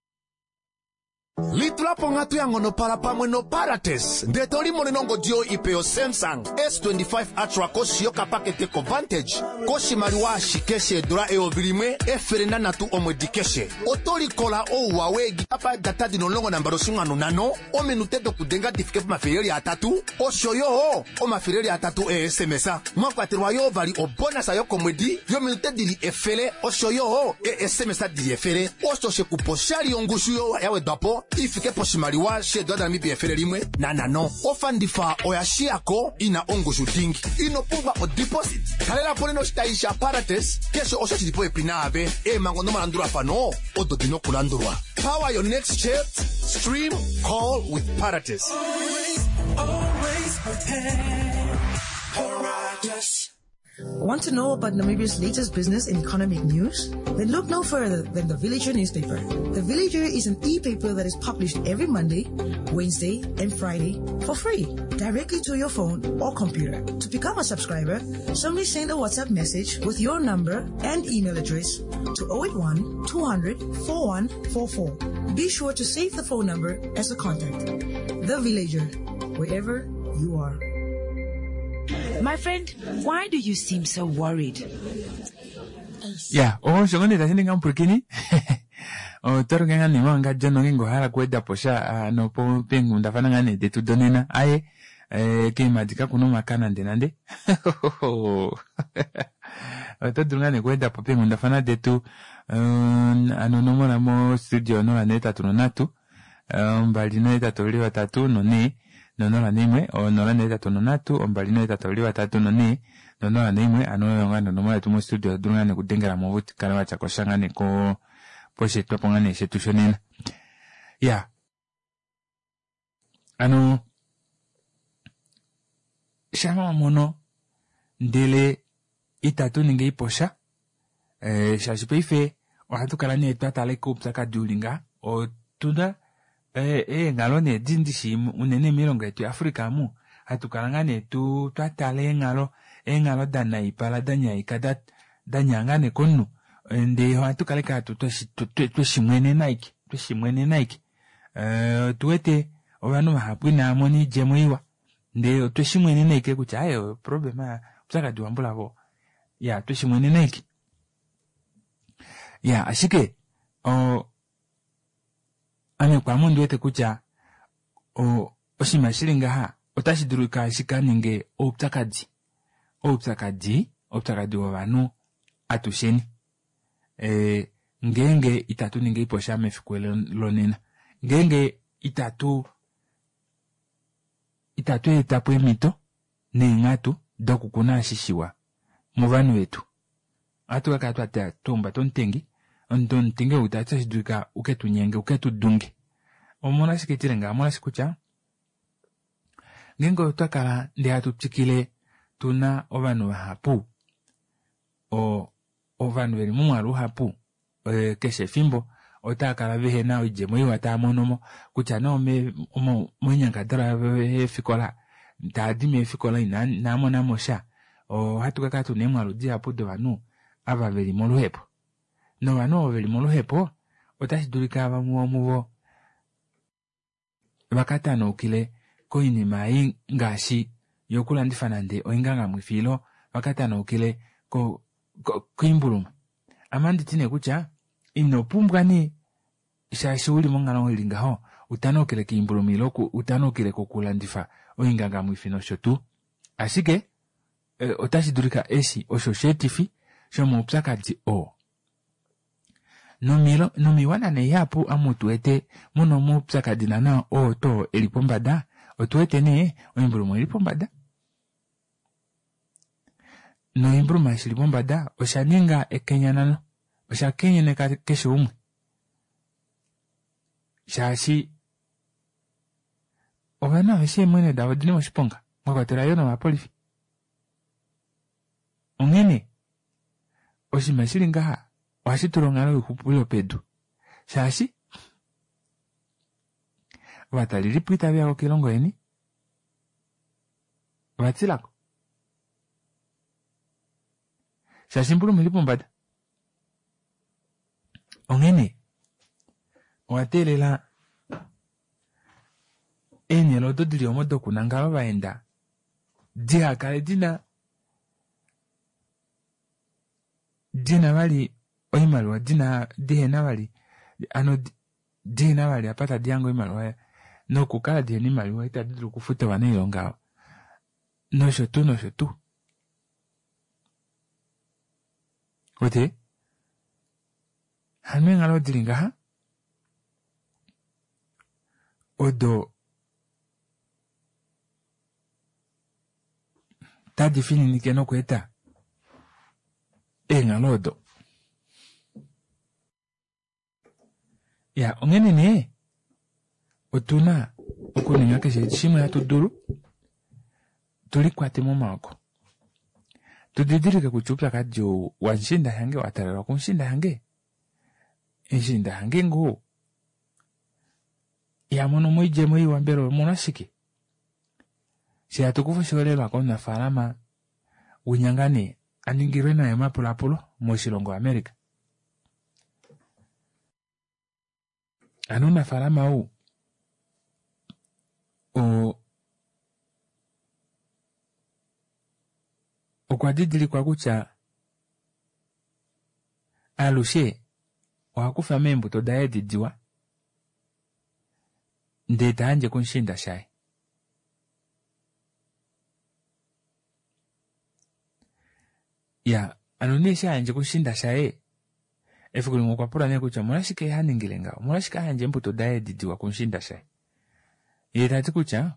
Litula ponghatu ya ngonopala pamwe noParates ndee to limonene ongodi yoye ipe yoSamsung S twenty-five Ultra koshi yokapakete koVantage koshimaliwa ashike sheedula eyovi limwe efele nanhatu omwedi keshe. Oto likola ouwa weegigabyte data dina omulongo nambali oshinghwanu nhano, ominute dokudenga di fike pomafele atatu, osho yo omafele atatu e-S M S. Mwa kwatelwa yoo vali obonasa yokomwedi yominute dili efele, osho yo e-S M S dili efele. Osho shekupa oshali yongushu yo ya wedwa po ifike poshimaliwa sheedula daNamibia efele limwe nanhano. Ofandifa oya shiyako ina ongushu dingi. Ino pumbwa odeposit. Talela po nena oshitayi shaParates keshe osho shili popepi naave. Eemhango nomalandulafano odo dina okulandulwa. Power your next chat, stream, call with Parates. Always, always prepare. Parates. Want to know about Namibia's latest business and economic news? Then look no further than the Villager newspaper. The Villager is an e-paper that is published every Monday, Wednesday, and Friday for free, directly to your phone or computer. To become a subscriber, simply send a WhatsApp message with your number and email address to oh eight one, two hundred, four one four four. Be sure to save the phone number as a contact. The Villager, wherever you are. My friend, why do you seem so worried? Ya, osho ngoo nee tashi ninga omupwilikini. Oto luke ngaa nee mawanga John ngeenge owa hala okuweda po sha ano po peenghundafana ngaa nee detu donena. Aye, eh, keemadi kakuna omaka nande nande. Oto dulu ngaa nee okuweda po peenghundafana detu, eh, ano onomola mo studio onola neetatu nonhatu, ombali nohetatu oveli vatatu nonhee nonola naimwe, onola nohetatu nonhatu, ombali nohetatu oveli vatatu nonhee nonola naimwe, ano oyo ngaa nee onomola yetu mo studio, oto dulu ngaa nee okudengelamo ove ukale watyakosha ngaa nee ko posheetwapo ngaa nee shetu shonena. Ya, ano shama wamono ndele itatu ningi iposha, eh, shaashi paife ohatu kala nee twa tala koupyakadi uli ngaha, otuna eenghalo nee dindishi unene moilongo yetu yaAfrica amu, hatu kala ngaa nee tu twatala eenghalo, eenghalo danaipala danyaika danyaa ngaa nee komunhu, ndee ohatu kala ike tweshimwenena aike, tweshimwenena aike. Otuwete ovanhu vahapu inavamona oidjemo iwa, ndee otweshimwenena aike kutya aaye problem oupyakadi wambulavo, ya tweshimwenena aike. Ya, ashike o ame kwaame ondiwete kutya oshinima shili ngaha otashi dulika shikaninge oupyakadi, oupyakadi, oupyakadi wovanhu atusheni. Ngeenge itatu ningi iposha mefiku lonena, ngeenge itatu itatu etapo eemhito neenghatu dokukuna eshi shiwa movanhu vetu, ohatu kakala twahumbata omutengi, omutengi ou otashi dulika uketunyenge uketu dunge. Omolwashike tile ngaha, omolwaashi kutya ngeenge otwa kala ndee hatu twikile tuna ovanhu vahapu, ovanhu veli momwaalu uhapu keshe efimbo otava kala vehena oidjemo iwa tava monomo kutya nee moinyangadalwa yavo yeefikola, taadi meefikola inaamonamo sha, ohatu kakala tuna eemwaalu dihapu dovanhu ava veli moluhepo. Novanhu ovo veli moluhepo otashi dulika vamwe vomuvo vakatanaukile koinima ei ngaashi yokulandifa nande oingangamwifi ilo vakatanaukile koimbuluma. Ame anditi nee kutya ino pumbwa nee shaashi uli monghalo ili ngaho utanaukile koimbuluma ilo utanaukile kokulandifa oingangamwifi nosho tuu. Ashike otashi dulika eshi osho sheetifi shomaupyakadi oo. Nomiiwana nee ihapu amu tuwete muna omaupyakadi naana oo too eli pombada, otuwete nee oimbuluma oili pombada. Noimbuluma eshi ili pombada osha ninga ekenyanano, osha kenyeneka keshe umwe. Shaashi ovanhu aveshe eemwenyo davo odili moshiponga, mwakwatelwa yoo novapolifi. Onghene oshinima shili ngaha ohashi tula onghalo yoixupilo pedu, shaashi ovatalelipo itaveya koilongo yeni, ovatilako. Shaashi imbuluma ili pombada. Onghene owa teelela eenhele odo dili omo dokunangala ovaenda dihakale dina dina vali oimaliwa dina dihena vali ano dihena vali apa tadi hange oimaliwa nokukala dihena oimaliwa itadi dulu okufuta ovanailonga nosho tuu nosho tuu. Wete hano eenghalo dili ngaha odo tadi fininike nokweeta eenghalo odo. Ya, onghene nee otuna okuninga keshe shimwe hatu dulu tulikwate momaoko. Tudidilike kutya oupyakadi ou wamushiinda shange wa talelwa kumushiinda shange, mushiinda shange ngoo iha mono mo oidjemo iwa mbela omolwashike? She hatu kufa oshiholelwa komunafaalama winya ngaa nee a ningilwe naye omapulapulo moshilongo America. Ano omunafaalama ou o okwa didilikwa kutya alushe oha kufa meembuto daye edi diwa ndee ta yandje kumushiinda shaye. Ya, ano nee eshi a yandje kumushiinda shaye, efiku limwe okwa pula nee kutya omolwashike ha ningile ngaho, omolwashike a yandja eembuto daye edi diwa kumushiinda shaye. Ye ta ti kutya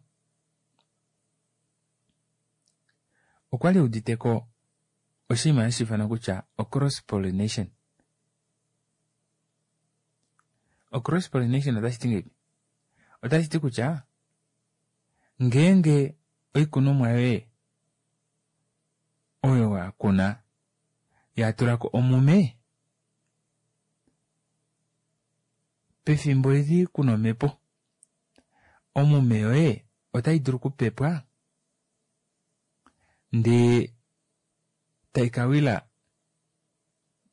okwa li udite ko oshinima hashi ifanwa kutya o-cross pollination. O-cross pollination otashi ti ngahelipi? Otashi ti kutya ngeenge oikunomwa yoye oyo wa kuna ya tula ko omume pefimbo eli kuna omhepo, omume yoye otai dulu okupepwa ndee tai ka wila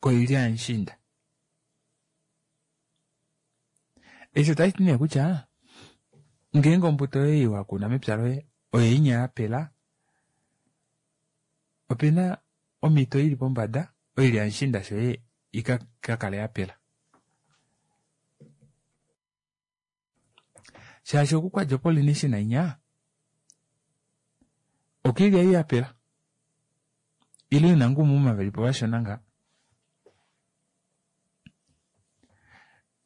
koilya yamushiinda. Eshi otashi ti nee kutya ngeenge ombuto yoye wa kuna mepya loye oyo inya yapela, opena omhito ili pombada oilya yamushiinda shoye ika kakale yapela. Shaashi oku kwadja pollination inya okoilya ei yapela ile ina ngoo oumuma velipo vashona nga.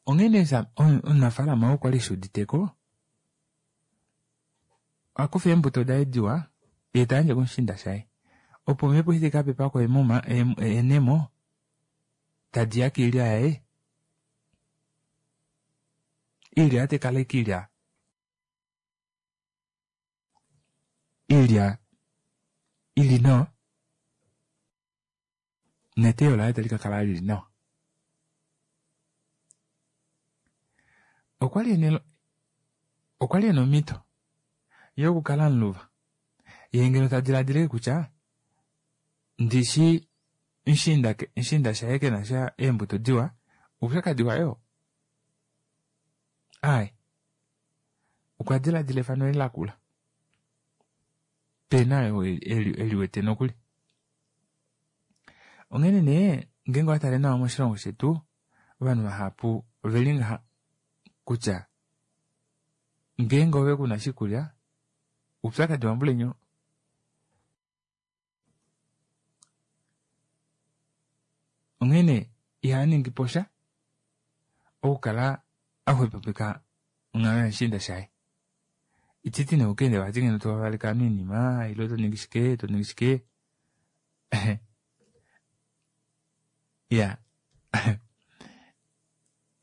Onghene omunafaalama oo kwali shuuditeko oha kufa eembuto daye diwa yee ta yandje kumushiinda shaye opo omhepo eshi taika pepako eemuma eenemo tadiya koilya yaye, oilya otaikala ashike ilya ilya ili nawa neteyo laye tali kakala lili nawa. Okwali ena okwali ena omhito yokukala muluva yee ngeno tadilaadila kutya ndishi mushiinda mushiinda shaye kenasha eembuto diwa oupyakadi waye oo. Aaye, okwa dilaadila efano eli lakula pena oyo eliwete nokuli. Onghene nee ngeenge owatale nawa moshilongo shetu ovanhu vahapu oveli ngaha kutya ngeenge ove kuna oshikulya oupyakadi wambulenyo. Onghene ihaningi posha okukala axwepopeka onghalo yamushiinda shaye. Ititi nee ukaende vati ngeno tovaleke ovanhu oinima ile toningi shike toningi shike iya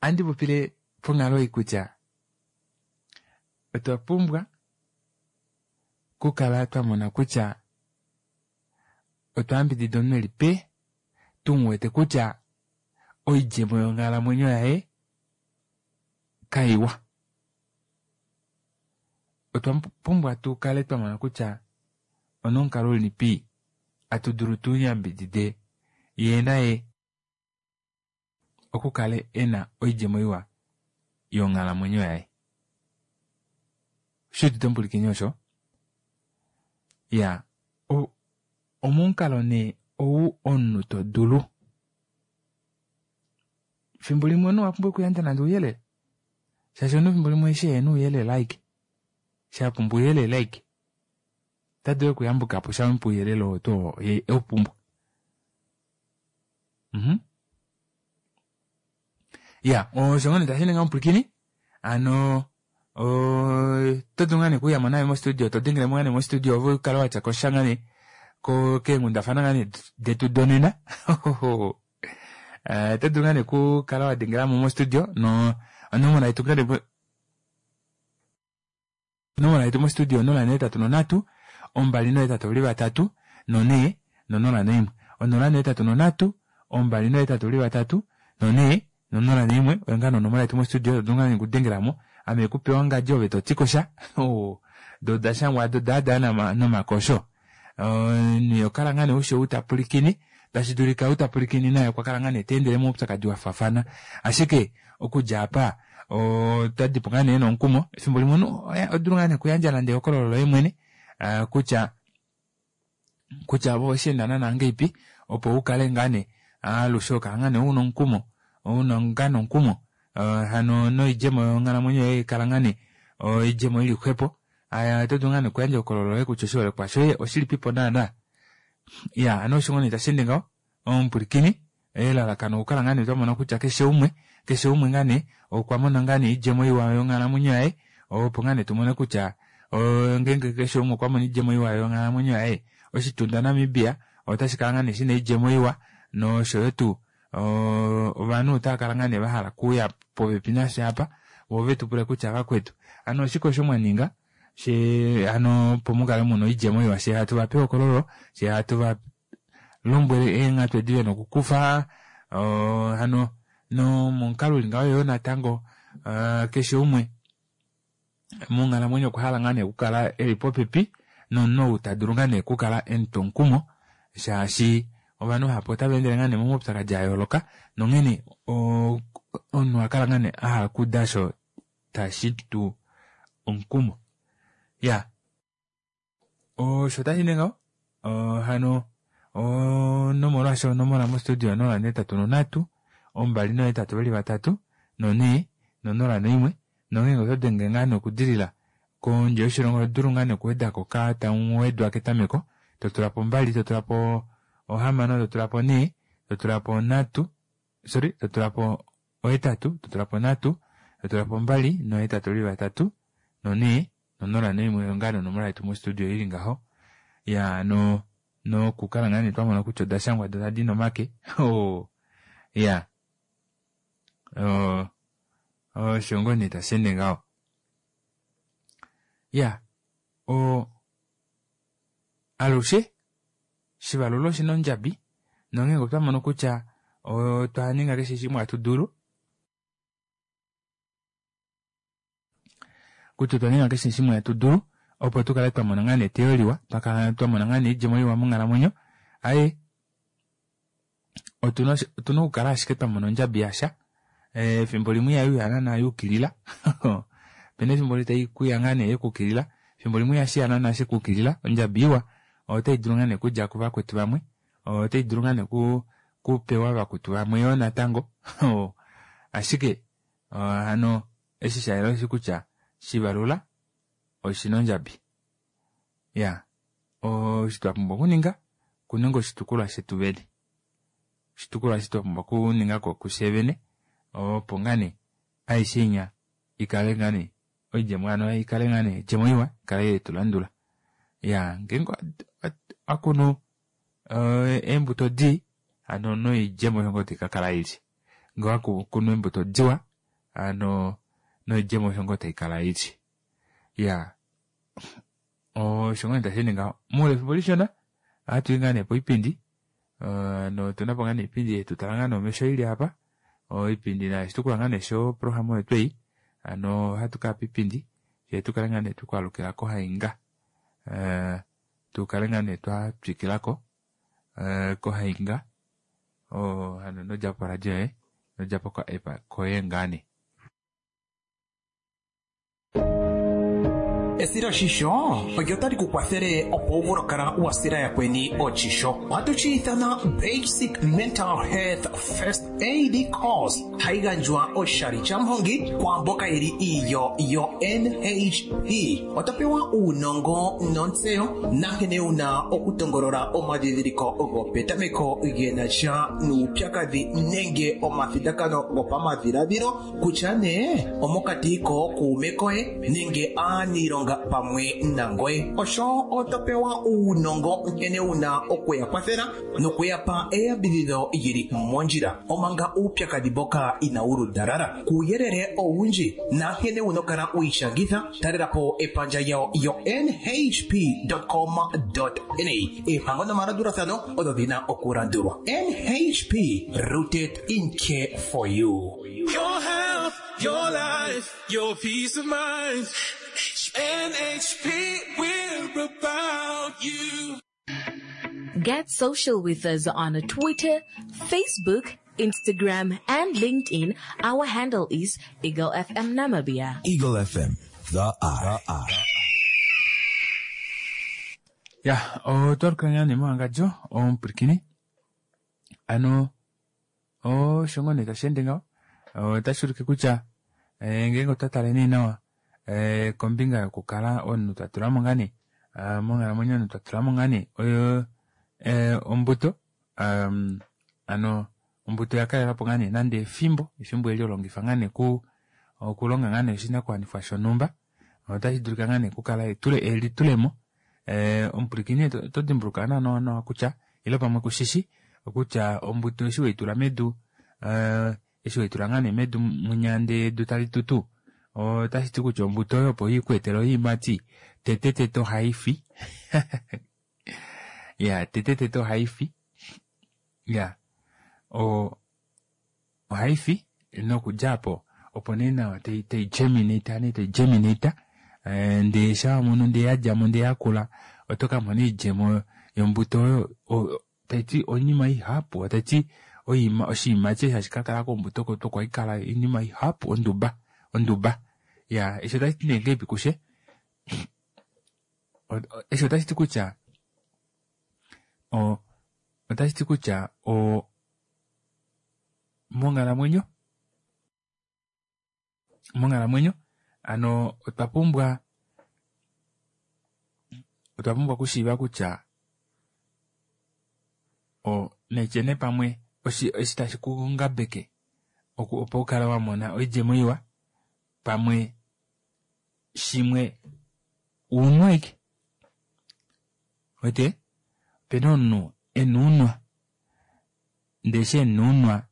ohandi popile ponghalo ei kutya otwa pumbwa okukala twamona kutya otwa yambidida omunhu eli pe tumuwete kutya oidjemo yonghalamwenyo yaye kaiwa. Otwa pumbwa tukale twamona kutya onomukalo ulipi hatu dulu tuyambidide yee naye okukale ena oidjemo iwa yonghalamwenyo yaye. Oshuudite omupulikini osho? Ya, omomukalo nee ou omunhu todulu fimbo limwe omunhu owa pumbwa okuyandja nande ouyelele shaashi omunhu fimbo limwe eshi ehena ouyelele aike shapumbwa ouyelele aike ota dulu okuyambukapo shamupa ouyelele oo tuu ye eupumbwa. Mhm. Ya, osho ngoo nee tashi ninga omupulikini ano oto dulu ngaa nee okuyamo naye mostudio to dengelemo ngaa nee mostudio ove ukale watya kosha ngaa nee keenghundafana ngaa nee detu donena. Oto dulu ngaa nee okukala wa dengelamo mostudio no onomola yetu ngaa nee onomola yetu mostudio onola nohetatu nonhatu ombali nohetatu oveli vatatu nonhee nonola noimwe onola nohetatu nonhatu ombali nohetatu veli vatatu nonhee nonola noimwe oyo ngaa nee onomola yetu mostudio todulu ngaa nee okudengelamo ame kupewa ongadi ove totiko sha doo odashangwa aado daada nomakosho omunhu ihokala ngaa nee ushi ou tapulikine tashidulika ou tapulikine naye okwakala ngaa nee teendele moupyakadi wafaafana ashike okudja apa otadipo ngaa nee nomukumo efimbo limwe omunhu ohodulu ngaa nee okuyandja nande ehokololo loye mwene kutya kutya ove owesheenda naana ngahelipi opo ukale ngaa nee alushe hokala ngaa nee una omukumo una ngaa nee omukumo hano noidjemo yonghalamwenyo yoye ikala ngaa nee oidjemo ili xwepo oto dulu ngaa nee okuyandja ehokololo loye kutya oshiholekwa shoye oshilipipo naana iya hano osho ngoo nee tasheende ngaho omupwilikini elalakano okukala ngaa nee twamona kutya keshe umwe keshe umwe ngaa nee okwa mona ngaa nee oidjemo iwa yonghalamwenyo yaye opo ngaa nee tumone kutya ngeenge keshe umwe okwa mona oidjemo iwa yonghalamwenyo yaye oshitunda Namibia otashi kala ngaa nee shina oidjemo iwa noshoyo tuu ovanhu otava ngaa nee vahala okuuya popepi nafye apa voo vetupule kutya vakwetu hano oshike osho mwaninga shee hano opo mukale muna oidjemo iwa fyee hatu vape ehokololo fyee hatu valombwele eenghatu edi vena okukufa hano nomomukalo uli ngaho yoo natango keshe umwe monghalamwenyo okwa hala ngaa nee okukala eli popepi nomunhu ou tadulu ngaa nee okukala emutwa omukumo shaashi ovanhu vahapu otava endele ngaa nee momaupyakadi ayooloka nonghene omunhu ohakala ngaa nee ahala okuuda osho tashitu omukumo iya osho otashi ngaho hano nomolwaasho onomola mostudio onola nohetatu nonhatu ombali nohetatu veli vatatu nonhee nonola noimwe nongeenge oto denge ngaa nee okudilila kondje yoshilongo otodulu ngaa nee okuwedako ka tamuwedwa ketameko totulapo mbali totulapo ohamano totulapo nhee totulapo nhatu sorry totulapo ohetatu totulapo nhatu totulapo mbali nohetatu veli vatatu nonhee nonola noimwe oyo ngaa nee onomola yetu mostudio ili ngaho ya no nokukala ngaa nee twamona kutya odashangwa doo tadi nomake iya osho ngoo nee tasheende ngaho iya o alushe shivalula oshina ondjabi nongeenge otwamono kutya otwa ninga keshe shimwe hatu dulu kutya otwa ninga keshe shimwe hatu dulu opo tukale twamona ngaa nee eteyo liwa twakala twamona ngaa nee oidjemo iwa monghalamwenyo aaye otuna otuna okukala ashike twamona ondjabi yasha efimbo limwe ihayuya naana yukilila opena efimbo taikuya ngaa nee yekukilila efimbo limwe ihashiya naana shekukilila ondjabi iwa otaidulu ngaa nee okudja kuvakwetu vamwe otaidulu ngaa nee kupewa vakwetu vamwe yoo natango ashike hano eshi shayela osheshi kutya shivalula oshina ondjabi iya osho twapumbwa okuninga okuninga oshitukulwa shetu vene oshitukulwa eshi twapumbwa okuningako kufye vene opo ngaa nee aishe inya ikale ngaa nee oidjemo hano ikale ngaa nee oidjemo iwa ikale yetulandula iya ngeenge owakunu eembuto dii hano noidjemo osho ngoo taikakala ili ngee owakunu eembuto diwa hano noidjemo osho ngoo taikala ili iyaa osho ngoo nee tasheende ngaho moule wefimbo lishona ohatui ngaa nee poipindi notunapo ngaa nee oipindi yetutala ngaa nee omesho ili aapa oipindi nayo oshitukulwa ngaa nee shoprograma oyo twei hano ohatu kaya poipindi fyee tukale ngaa nee twekwaalukila kohainga tukale ngaa nee twatwikilako kohainga hano inodjapo poradio yoye inodjapo ko app koye ngaa nee Esiloshisho olyo tali ku kwathele opo wu vule okukala wa sila yakweni oshisho. Ohatu shi ithana Basic Mental Health First Aid Course, hayi gandjwa oshali shamuhongi kwaamboka yeli iilyo yo-N H P. Oto pewa uunongo nontseyo nankene wuna okutongolola omadhidhiliko gopetameko gena sha nuupyakadhi nenge omathindakano gopamadhiladhilo kutya nee omokati kookuume koye nenge aaniilonga. okuungaunga pamwe nangoye. Osho oto pewa uunongo nkene wuna okuya kwathela nokuya pa eyambidhidho lyili mondjila omanga uupyakadhi mboka inawu ludalala. Kuuyelele owundji nankene wuna okukala wiishangitha, talela po epandja lyawo yo n h p dot com dot n a. Eempango nomalandulathano odho dhina okulandulwa. N H P, rooted in care for you. Your health, your life, your peace of mind. N H P, we're about you. Get social with us on Twitter, Facebook, Instagram, and LinkedIn. Our handle is Eagle F M Namibia. Eagle F M, the eye. The eye. Ya, otwa ne moangadjo omupulakeni. Ano, osho ngoo nee tashi ende ngaho. Otashi ulike kutya, eh, ngeenge otwa tale nee nawa, eh, kombinga yokukala omunhu twa tula mo ngaa nee, ah, monghalamwenyo omunhu twa tula mo ngaa nee, oyo, eh, ombuto, um, ano, ombuto oya kalela po ngaa nee nande efimbo, efimbo eli olongifa ngaa nee ku, okulonga ngaa nee oshinakuwanifwa shonhumba, otashi dulika ngaa nee kukala etule, elitulemo, eh, omupulakeni oto dimbuluka nawa nawa kutya, ile pamwe kushishi, kutya ombuto eshi weitula medu, eh, eshi weitula ngaa nee medu munyande edu tali tutu, otashi ti kutya ombuto oyo opo ikweetele oiimati, tete tete ohai fi. Ya, tete tete ohai fi. Ya, o, ohai fi nokudja po, opo nee nawa tai, tai germinate, nee tai germinate, eh, ndee sha mono ndee ya dja mo ndee ya kula, oto ka mona oidjemo yombuto oyo, o, tai ti oinima ihapu, tai ti oima, oshiimati eshi hashi ka kala kombuto oko kwa ikala oinima ihapu, onduba, onduba. Ya, eshi otashi ti nee ngeipi kushe? Eshi otashi ti kutya, o, otashi ti kutya, o, monghalamwenyo, monghalamwenyo, ano, otwa pumbwa, otwa pumbwa okushiiva kutya, o, netyene pamwe, oshi, eshi tashi ku ngabeke, oku, opo ukale wa mona oidjemo iwa, pamwe shimwe uunwa aike. Wete, opena omunhu ena uunwa, ndee eshi ena uunwa,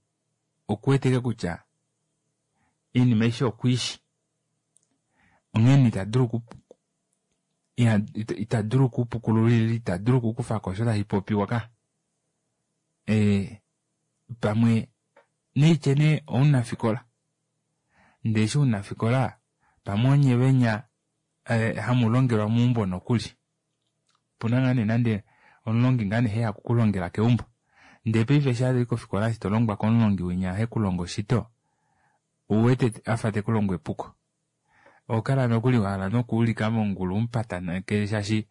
okuweteke kutya oinima aishe okwiishi. Onghene ita dulu oku, iha, ita, ita dulu okupukulula, ita dulu okukufako osho tashi popiwa ka. E, pamwe neitye omunafikola. Ndee eshi omunafikola, pamwe onye venya, eh, hamu longelwa meumbo nokuli. Opuna ngaa nee nande omulongi ngaa nee heya kukulongela keumbo. Ndee paife eshi ali kofikola eshi to longwa komulongi winya he kulongo shito, ouwete afa te kulongo epuko. Okala nokuli wahala nokuulika mongulu umupataneke shaashi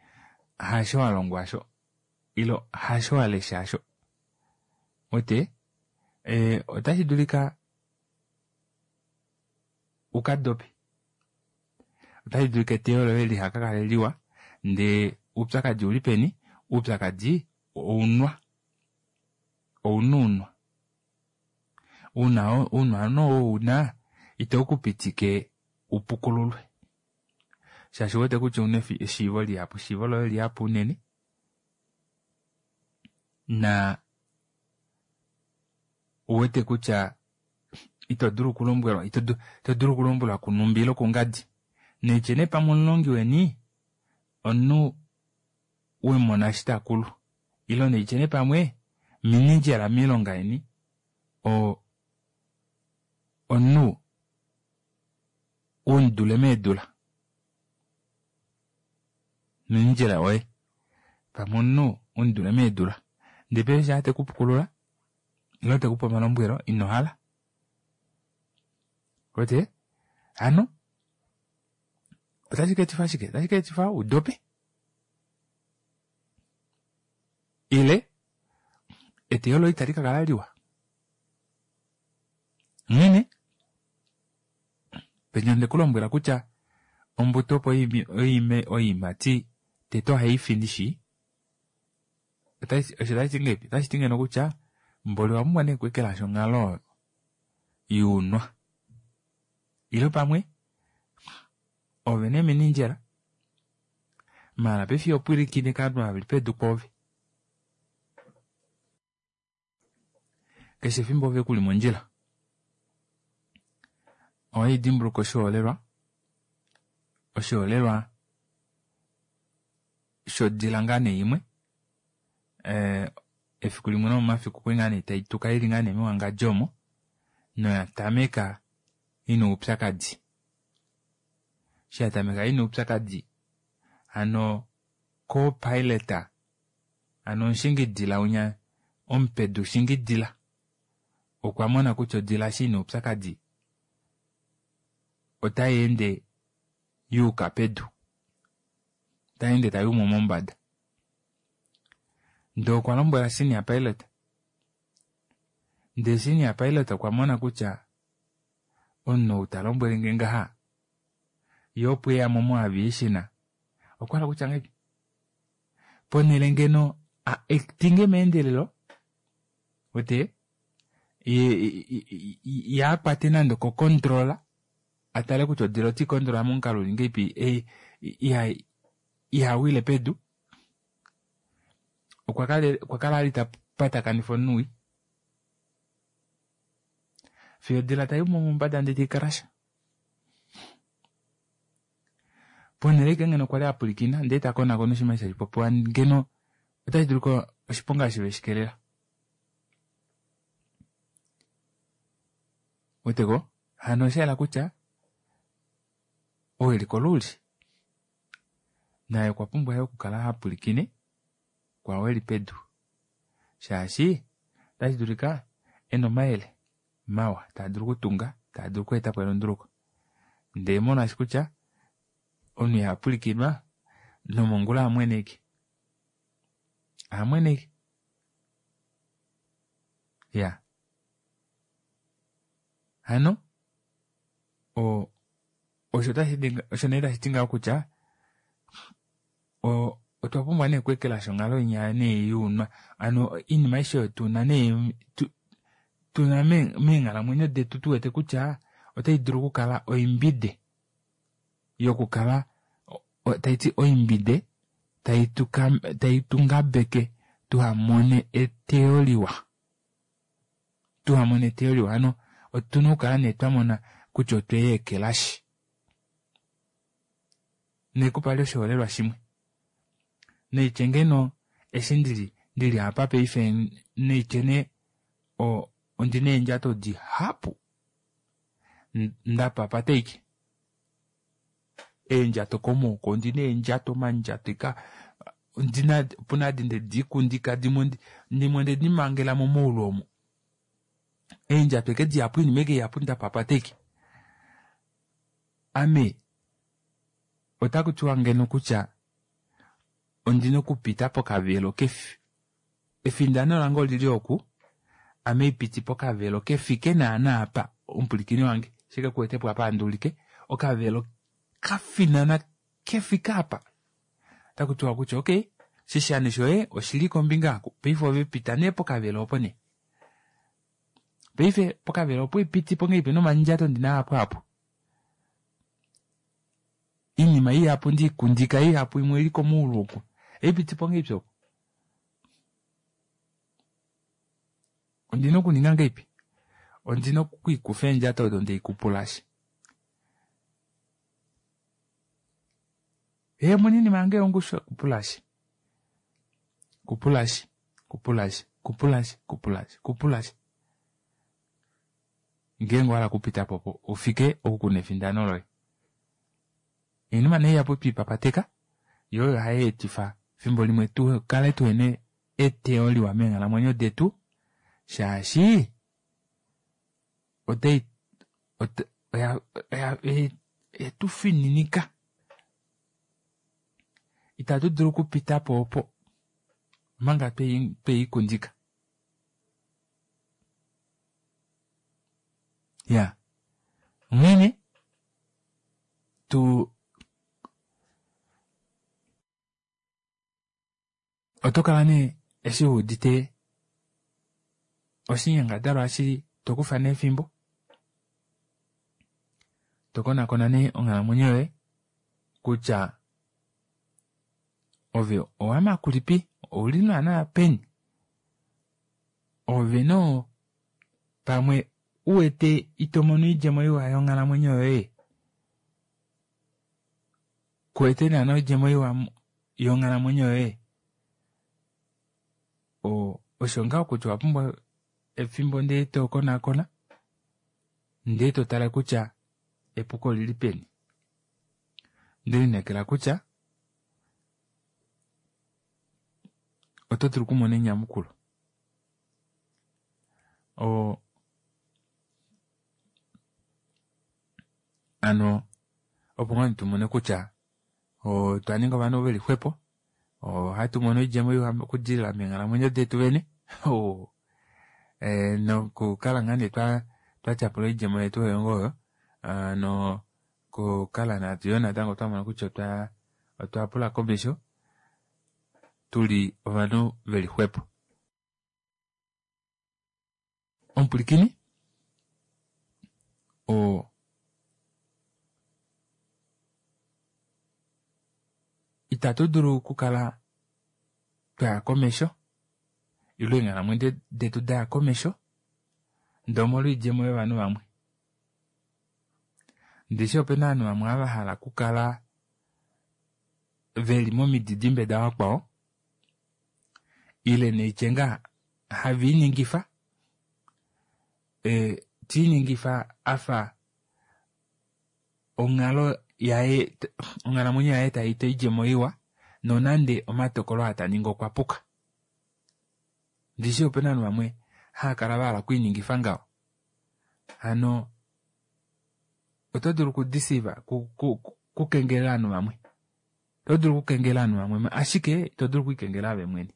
hasho wa longwa asho, ilo hasho wa lesha asho. Wete, eh, otashi dulika uka dope. Otashi dulika eteyo loye lihaka kale liwa, ndee uupyakadi uli peni, uupyakadi ounwa. Oununwa. Una, unwa no una, ito kupitike upukululwe. Shaashi wete kutya una eshiivo lihapu, eshiivo loye lihapu unene. Na uwete kutya ito dulu okulombwelwa, ito du-, ito dulu okulombwelwa kunumbi ile kungadi. Neitye nee pamwe omulongi weni, omunhu wemona eshi takulu. Ile neitye nee pamwe minindjela miilonga yeni, o, omunhu womudule meedula. Minindjela oye. Pamwe omunhu womudule meedula. Ndee paife eshi te kupukulula, ile te kupe omalombwelo, ino hala. Wete? Ano, otashi ka etifa shike? Otashi ka etifa udope. Ile, eteyo loye itali ka kala liwa. Nghene, penya nde kulombwela kutya ombuto opo oime, oime oiimati tete ohai fi ndishi. Otashi, osho tashi ti ngeipi? Otashi ti ngeno kutya mboli owa pumbwa nee okweekelasha onghalo yuunwa. Ile pamwe ove nee minindjela Maala paife iho pwilikine kovanhu ava veli pedu pwoove. Keshe efimbo ove kuli mondjila. Ohaidimbuluka oshiholelwa, oshiholelwa shodila ngaa nee imwe ee efiku limwe lomomafiku okwali ngaa nee taituka ili ngaa nee mewangadjo omo noya tameka ina oupyakadi. Eshi yatameka ina oupyakadi hano co-pilot hano omushingidila winya omupedu shingidila okwa mona kutya odila eshi ina oupyakadi otayeende yuuka pedu, otayeende tayumo mombada. Ndee okwa lombwela senior pilot, ndee senior pilot okwa mona kutya omunhu ou talombwelenge ngaha yee opo eyamo mo aviation okwahala kutya ngahelipi ponele ngeno a actinge meendelelo wete ye akwate nande oko control atale kutya odila oteicontrola momukalo uli ngahelipi ihawile pedu okwa kala ali tapatakanifa omunhu wii fiyo odila tayumo mombada ndee taikarasha. Ponele ashike ngeno kwali apwilikina ndee takonakona oshinima eshi tashipopiwa ngeno otashi dulika oshiponga eshi veshikelela. Ouweteko hano oshayela kutya ou eli koluuli naye okwa pumbwa yoo okukala hapwilikine kwaao eli pedu shaashi otashi dulika ena omayele mawa taadulu okutunga taadulu okweetapo elunduluko ndee molwaashi kutya omunhu ihapwilikinwa nomongula ohamwene ashike ohamwene ashike iyaa hano o osho osho nee tashiti ngaho kutya o otwa pumbwa nee okweekelashi onghalo inya nee younwa hano oinima aishe oyo tuna nee tuna meenghalamwenyo detu tuwete kutya otai dulu okukala oimbide yokukala taiti oimbide tai tungabeke tuhamone eteyo liwa tuhamone eteyo liwa hano otuna okukala nee twamona kutya otweyeekelashi. Nekupali oshiholelwa shimwe naitye ngeno eshi ndili ndili apa paife naitye nee ondina eendjato dihapu ndapapata ashike eendjato komaoko ondina eendjato omandjato ika ondina opuna adi ndediikundika dimwe dimwe ondedimangela momaulu omo eendjato eke dihapu oinima eke ihapu ndapapata ashike. Ame otakutiwa ngeno kutya ondina okupita pokavelo kefi efindano lange olili oku ame ipiti pokavelo kefike naana apa omupwilikini wange shike kuwetepo apa handuulike okavelo kafinana kefike apa otakutiwa kutya okey shishani shoye oshili kombinga aku paife ove pita nee pokavelo opo nee paife pokavelo opo ipitipo ngahelipi nomandjato ndina ahapu ahapu oinima ihapu ndiikundika ihapu imwe oili komaulu oku eipitipo ngahelipi opo ondina okuninga ngahelipi ondina okwiikufa eendjato odo ndeikupulashi ee omuna oinima yange yongushu kupulashi kupulashi kupulashi kupulashi kupulashi kupulashi ngeenge owahala okupitapo opo ufike oku kuna efindano loye. Oinima nee ihapu twiipapateka yoo oyo hayeetifa efimbo limwe tukale tuhena eteyo liwa meenghalamwenyo detu shaashi otai oya oyetufininika itatu dulu okupitapo opo omanga tweikundika. Iya onghene tu oto kala nee eshi wuudite oshinyangadalwa eshi tokufa nee efimbo tokonakona nee onghalamwenyo yoye kutya Ove owamakulipi, ouli naana peni? Ove noo pamwe uwete ito mono oidjemo iwa yonghalamwenyo yoye, kuwete naana oidjemo iwa yonghalamwenyo yoye, osho ngaho kutya owapumbwa efimbo ndee tokonakona ndee totale kutya epuko olili peni. Ndelineekela kutya oto dulu okumona enyamukulo. Oo ano opo ngoo tumone kutya otwa ninga ovanhu veli xwepo, ohatu mono oidjemo iwa okudilila meenghalamwenyo detu vene nokukala ngaa nee twatyapula oidjemo yetu oyo ngoo oyo nokukala yoo natango twamona kutya otwa pula komesho tuli ovanhu veli xwepo. Omupulikini oo itatu dulu okukala twaya komesho ile eenghalamwenyo detu daya komesho ndee omolwa oidjemo yovanhu vamwe. Ndishi opena ovanhu vamwe ava vahala okukala veli momididimbe davakwao ile neitye ngaa haviiningifa tiiningifa afa onghalo yaye onghalamwenyo yaye taita oidjemo iwa nonande omatokolo aa taningi okwa puka. Ndishi opena ovanhu vamwe haakala vahala okwiiningifa ngaho. Hano oto dulu okudeceive okukengelela ovanhu vamwe, oto dulu okukengela ovanhu vamwe ashike ito dulu okwiikengela ove mwene,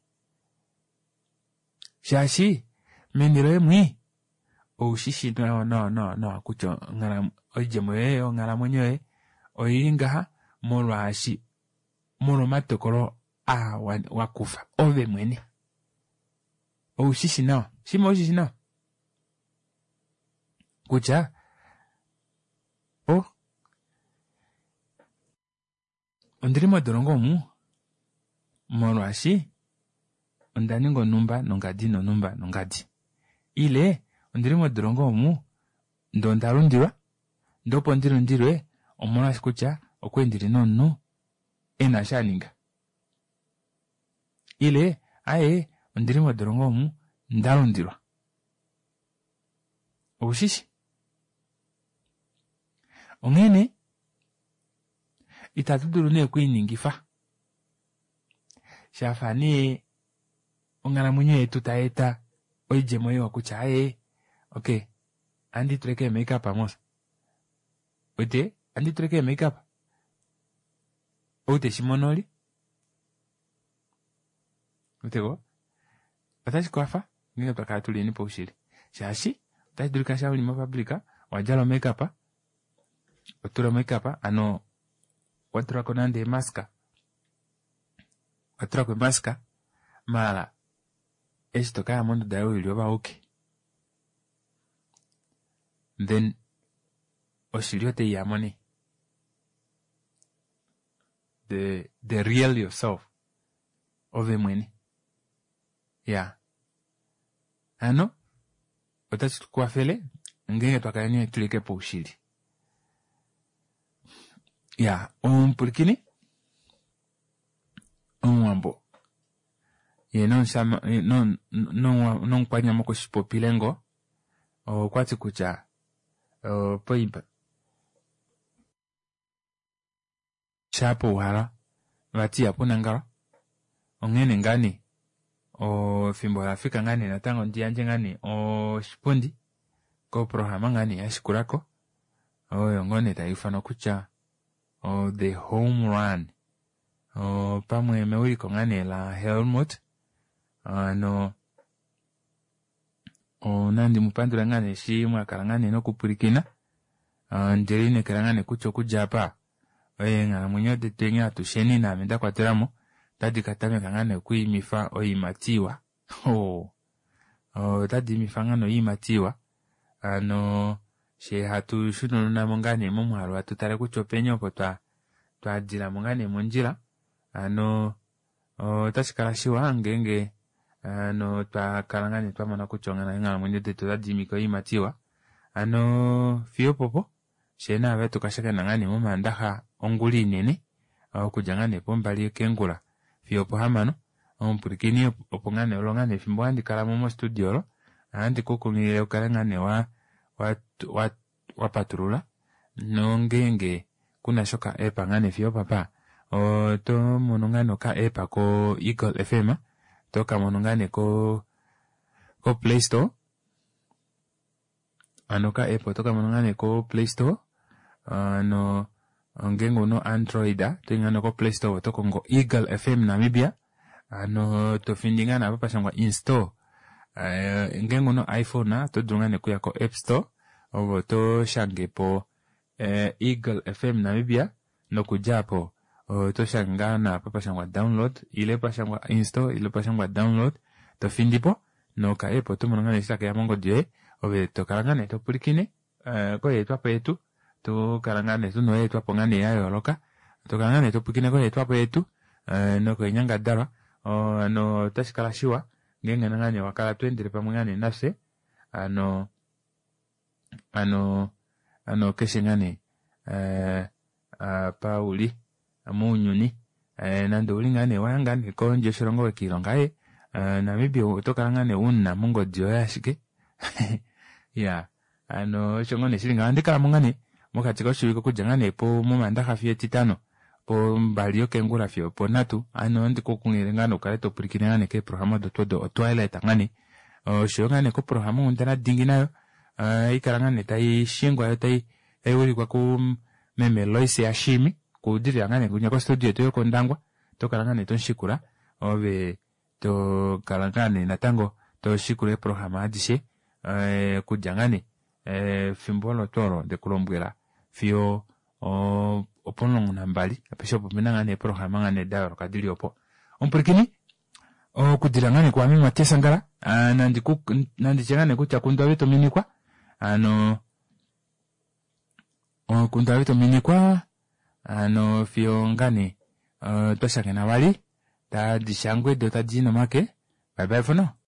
shaashi meni loye mwi oushishi nawa nawa nawa nawa kutya oidjemo yoye yonghalamwenyo yoye oili ngaha molwaashi molwa omatokolo aa wakufa ove mwene. Oushishi nawa, shima oushishi nawa kutya o ondili modolongo omu molwaashi onda ninga onumba nongadi nonumba nongadi, ile ondili modolongo omu ndee onda lundilwa, ndee opo ndilundilwe omolwaashi kutya okwali ndili nomunhu ena eshi aninga, ile aaye ondili modolongo omu ndalundilwa. Oushishi? Onghene itatu dulu nee okwiiningifa shafa nee onghalamwenyo yetu tayeeta oidjemo iwa kutya aaye okay andi tuleko ee-makeup mos wete andi tuleko ee-makeup ou teshimono oli weteko otashi kwafa ngeenge twakala tuliyeni paushili, shaashi otashi dulika sha uli mopublic owadjala o-makeup, watula o-makeup ano watulako nande eemask, watulako emask maala eshi tokaya monduda yoye uli ove auke then oshili otaiyamo nee, the the real yourself ove mwene. Ya hano otashi tukwafele ngeenge twakala nee tulike paushili. Ya omupulikini omuwambo ye nomukwanyama okweshipopilengo okwati kutya poimba shapo uhala vati ihapu nangalwa, onghene ngaa nee efimbo lafika ngaa nee natango ndiyandje ngaa nee oshipundi koprograma ngaa nee yashikulako oyo ngoo nee taiufanwa kutya the home run, pamwe mewiliko ngaa nee la Helmut. Ano nandi mupandule ngaa nee eshi mwakala ngaa nee nokupwilikina, ndelineekela ngaa nee kutya okudja apa eenghalamwenyo detu atusheni naame ndakwatelamo otadi katameka ngaa nee okwiimifa oiimati iwa. Otadi imifa ngaa nee oiimati iwa, hano she hatu shunununamo ngaa nee momwaalu hatu tale kutya openi opo twadilamo ngaa nee mondjila, hano Otashi kala shiwa ngeenge ano twakala ngaa nee twamona kutya eenghalamwenyo detu otadi imike oiimati iwa. Hano fiyo opopo fyee naave tukashakena ngaa nee momandaxa ongula inene okudja ngaa nee pombali keengula fiyo opohamano. Omupwilikini opo ngaa nee olo ngaa nee efimbo handi kalamo mo studio olo ohandi kukunghilile ukale ngaa nee wa wa wapatulula nongeenge kuna oka app ngaa nee fiyo opapa otomono ngaa nee oka app ko Eagle F M otokamono ngaa nee ko Playstore hano oka app otokamono ngaa nee ko Playstore hano ngeenge ouna Android otoyi ngaa nee ko Playstore otokongo Eagle F M Namibia hano tofindi ngaa nee apa pashangwa install ngeenge ouna iPhone oto dulu ngaa nee okuya ko App Store ove otoshangepo Eagle F M Namibia nokudja aapo otoshange ngaa nee apa pashangwa download ile pashangwa install ile pashangwa download tofindipo noka app otomono ngaa nee eshi takeya mongodi yoye ove tokala ngaa nee topwilikine koyeetwapo yetu tokala ngaa nee tuna oyeetwapo ngaa nee yayooloka tokala ngaa nee topwilikine koyeetwapo yetu nokoinyangadalwa hano otashi kala shiwa ngeenge ngaa nee wakala tweendele pamwe ngaa nee nafye hano hano hano keshe ngaa nee apa uli mounyuni nande ouli ngaa nee waya ngaa nee kondje yoshilongo wekiilonga ee Namibia oto kala ngaa nee una mongodi yoye ashike iyaa hano osho ngoo nee shili ngaho. Ohandi kalamo ngaa nee mokati koshivike okudja ngaa nee momandaxa fiyo etitano pombali yokeengula fiyo oponhatu hano ohandi kukunghilile ngaa nee ukale topwilikine ngaa nee keeprograma odo tuu odo o twilight ngaa nee oshoyo ngaa nee koprograma onghundana dingi nayo ohaikala ngaa nee taishingwa yoo taiwilikwa ku meme Loise yaShiimi okudilila ngaa nee kwinya ko studio yetu yokOndangwa otokala ngaa nee tomushikula ove tokala ngaa nee natango toshikula eeprograma adishe okudja ngaa nee efimbo olo tuu olo ndekulombwela fiyo opomulongo nambali apeshe opo opena ngaa nee eeprograma ngaa nee dayooloka dili opo. Omupwilikini okudilila ngaa nee kwaame Matias Angala nanditye ngaa nee kutya kundwa ove tominikwa hano kundwa ove tominikwa hano fiyo ngaa nee twashakena vali tadi shangwe doo tadii nomake bye bye for now.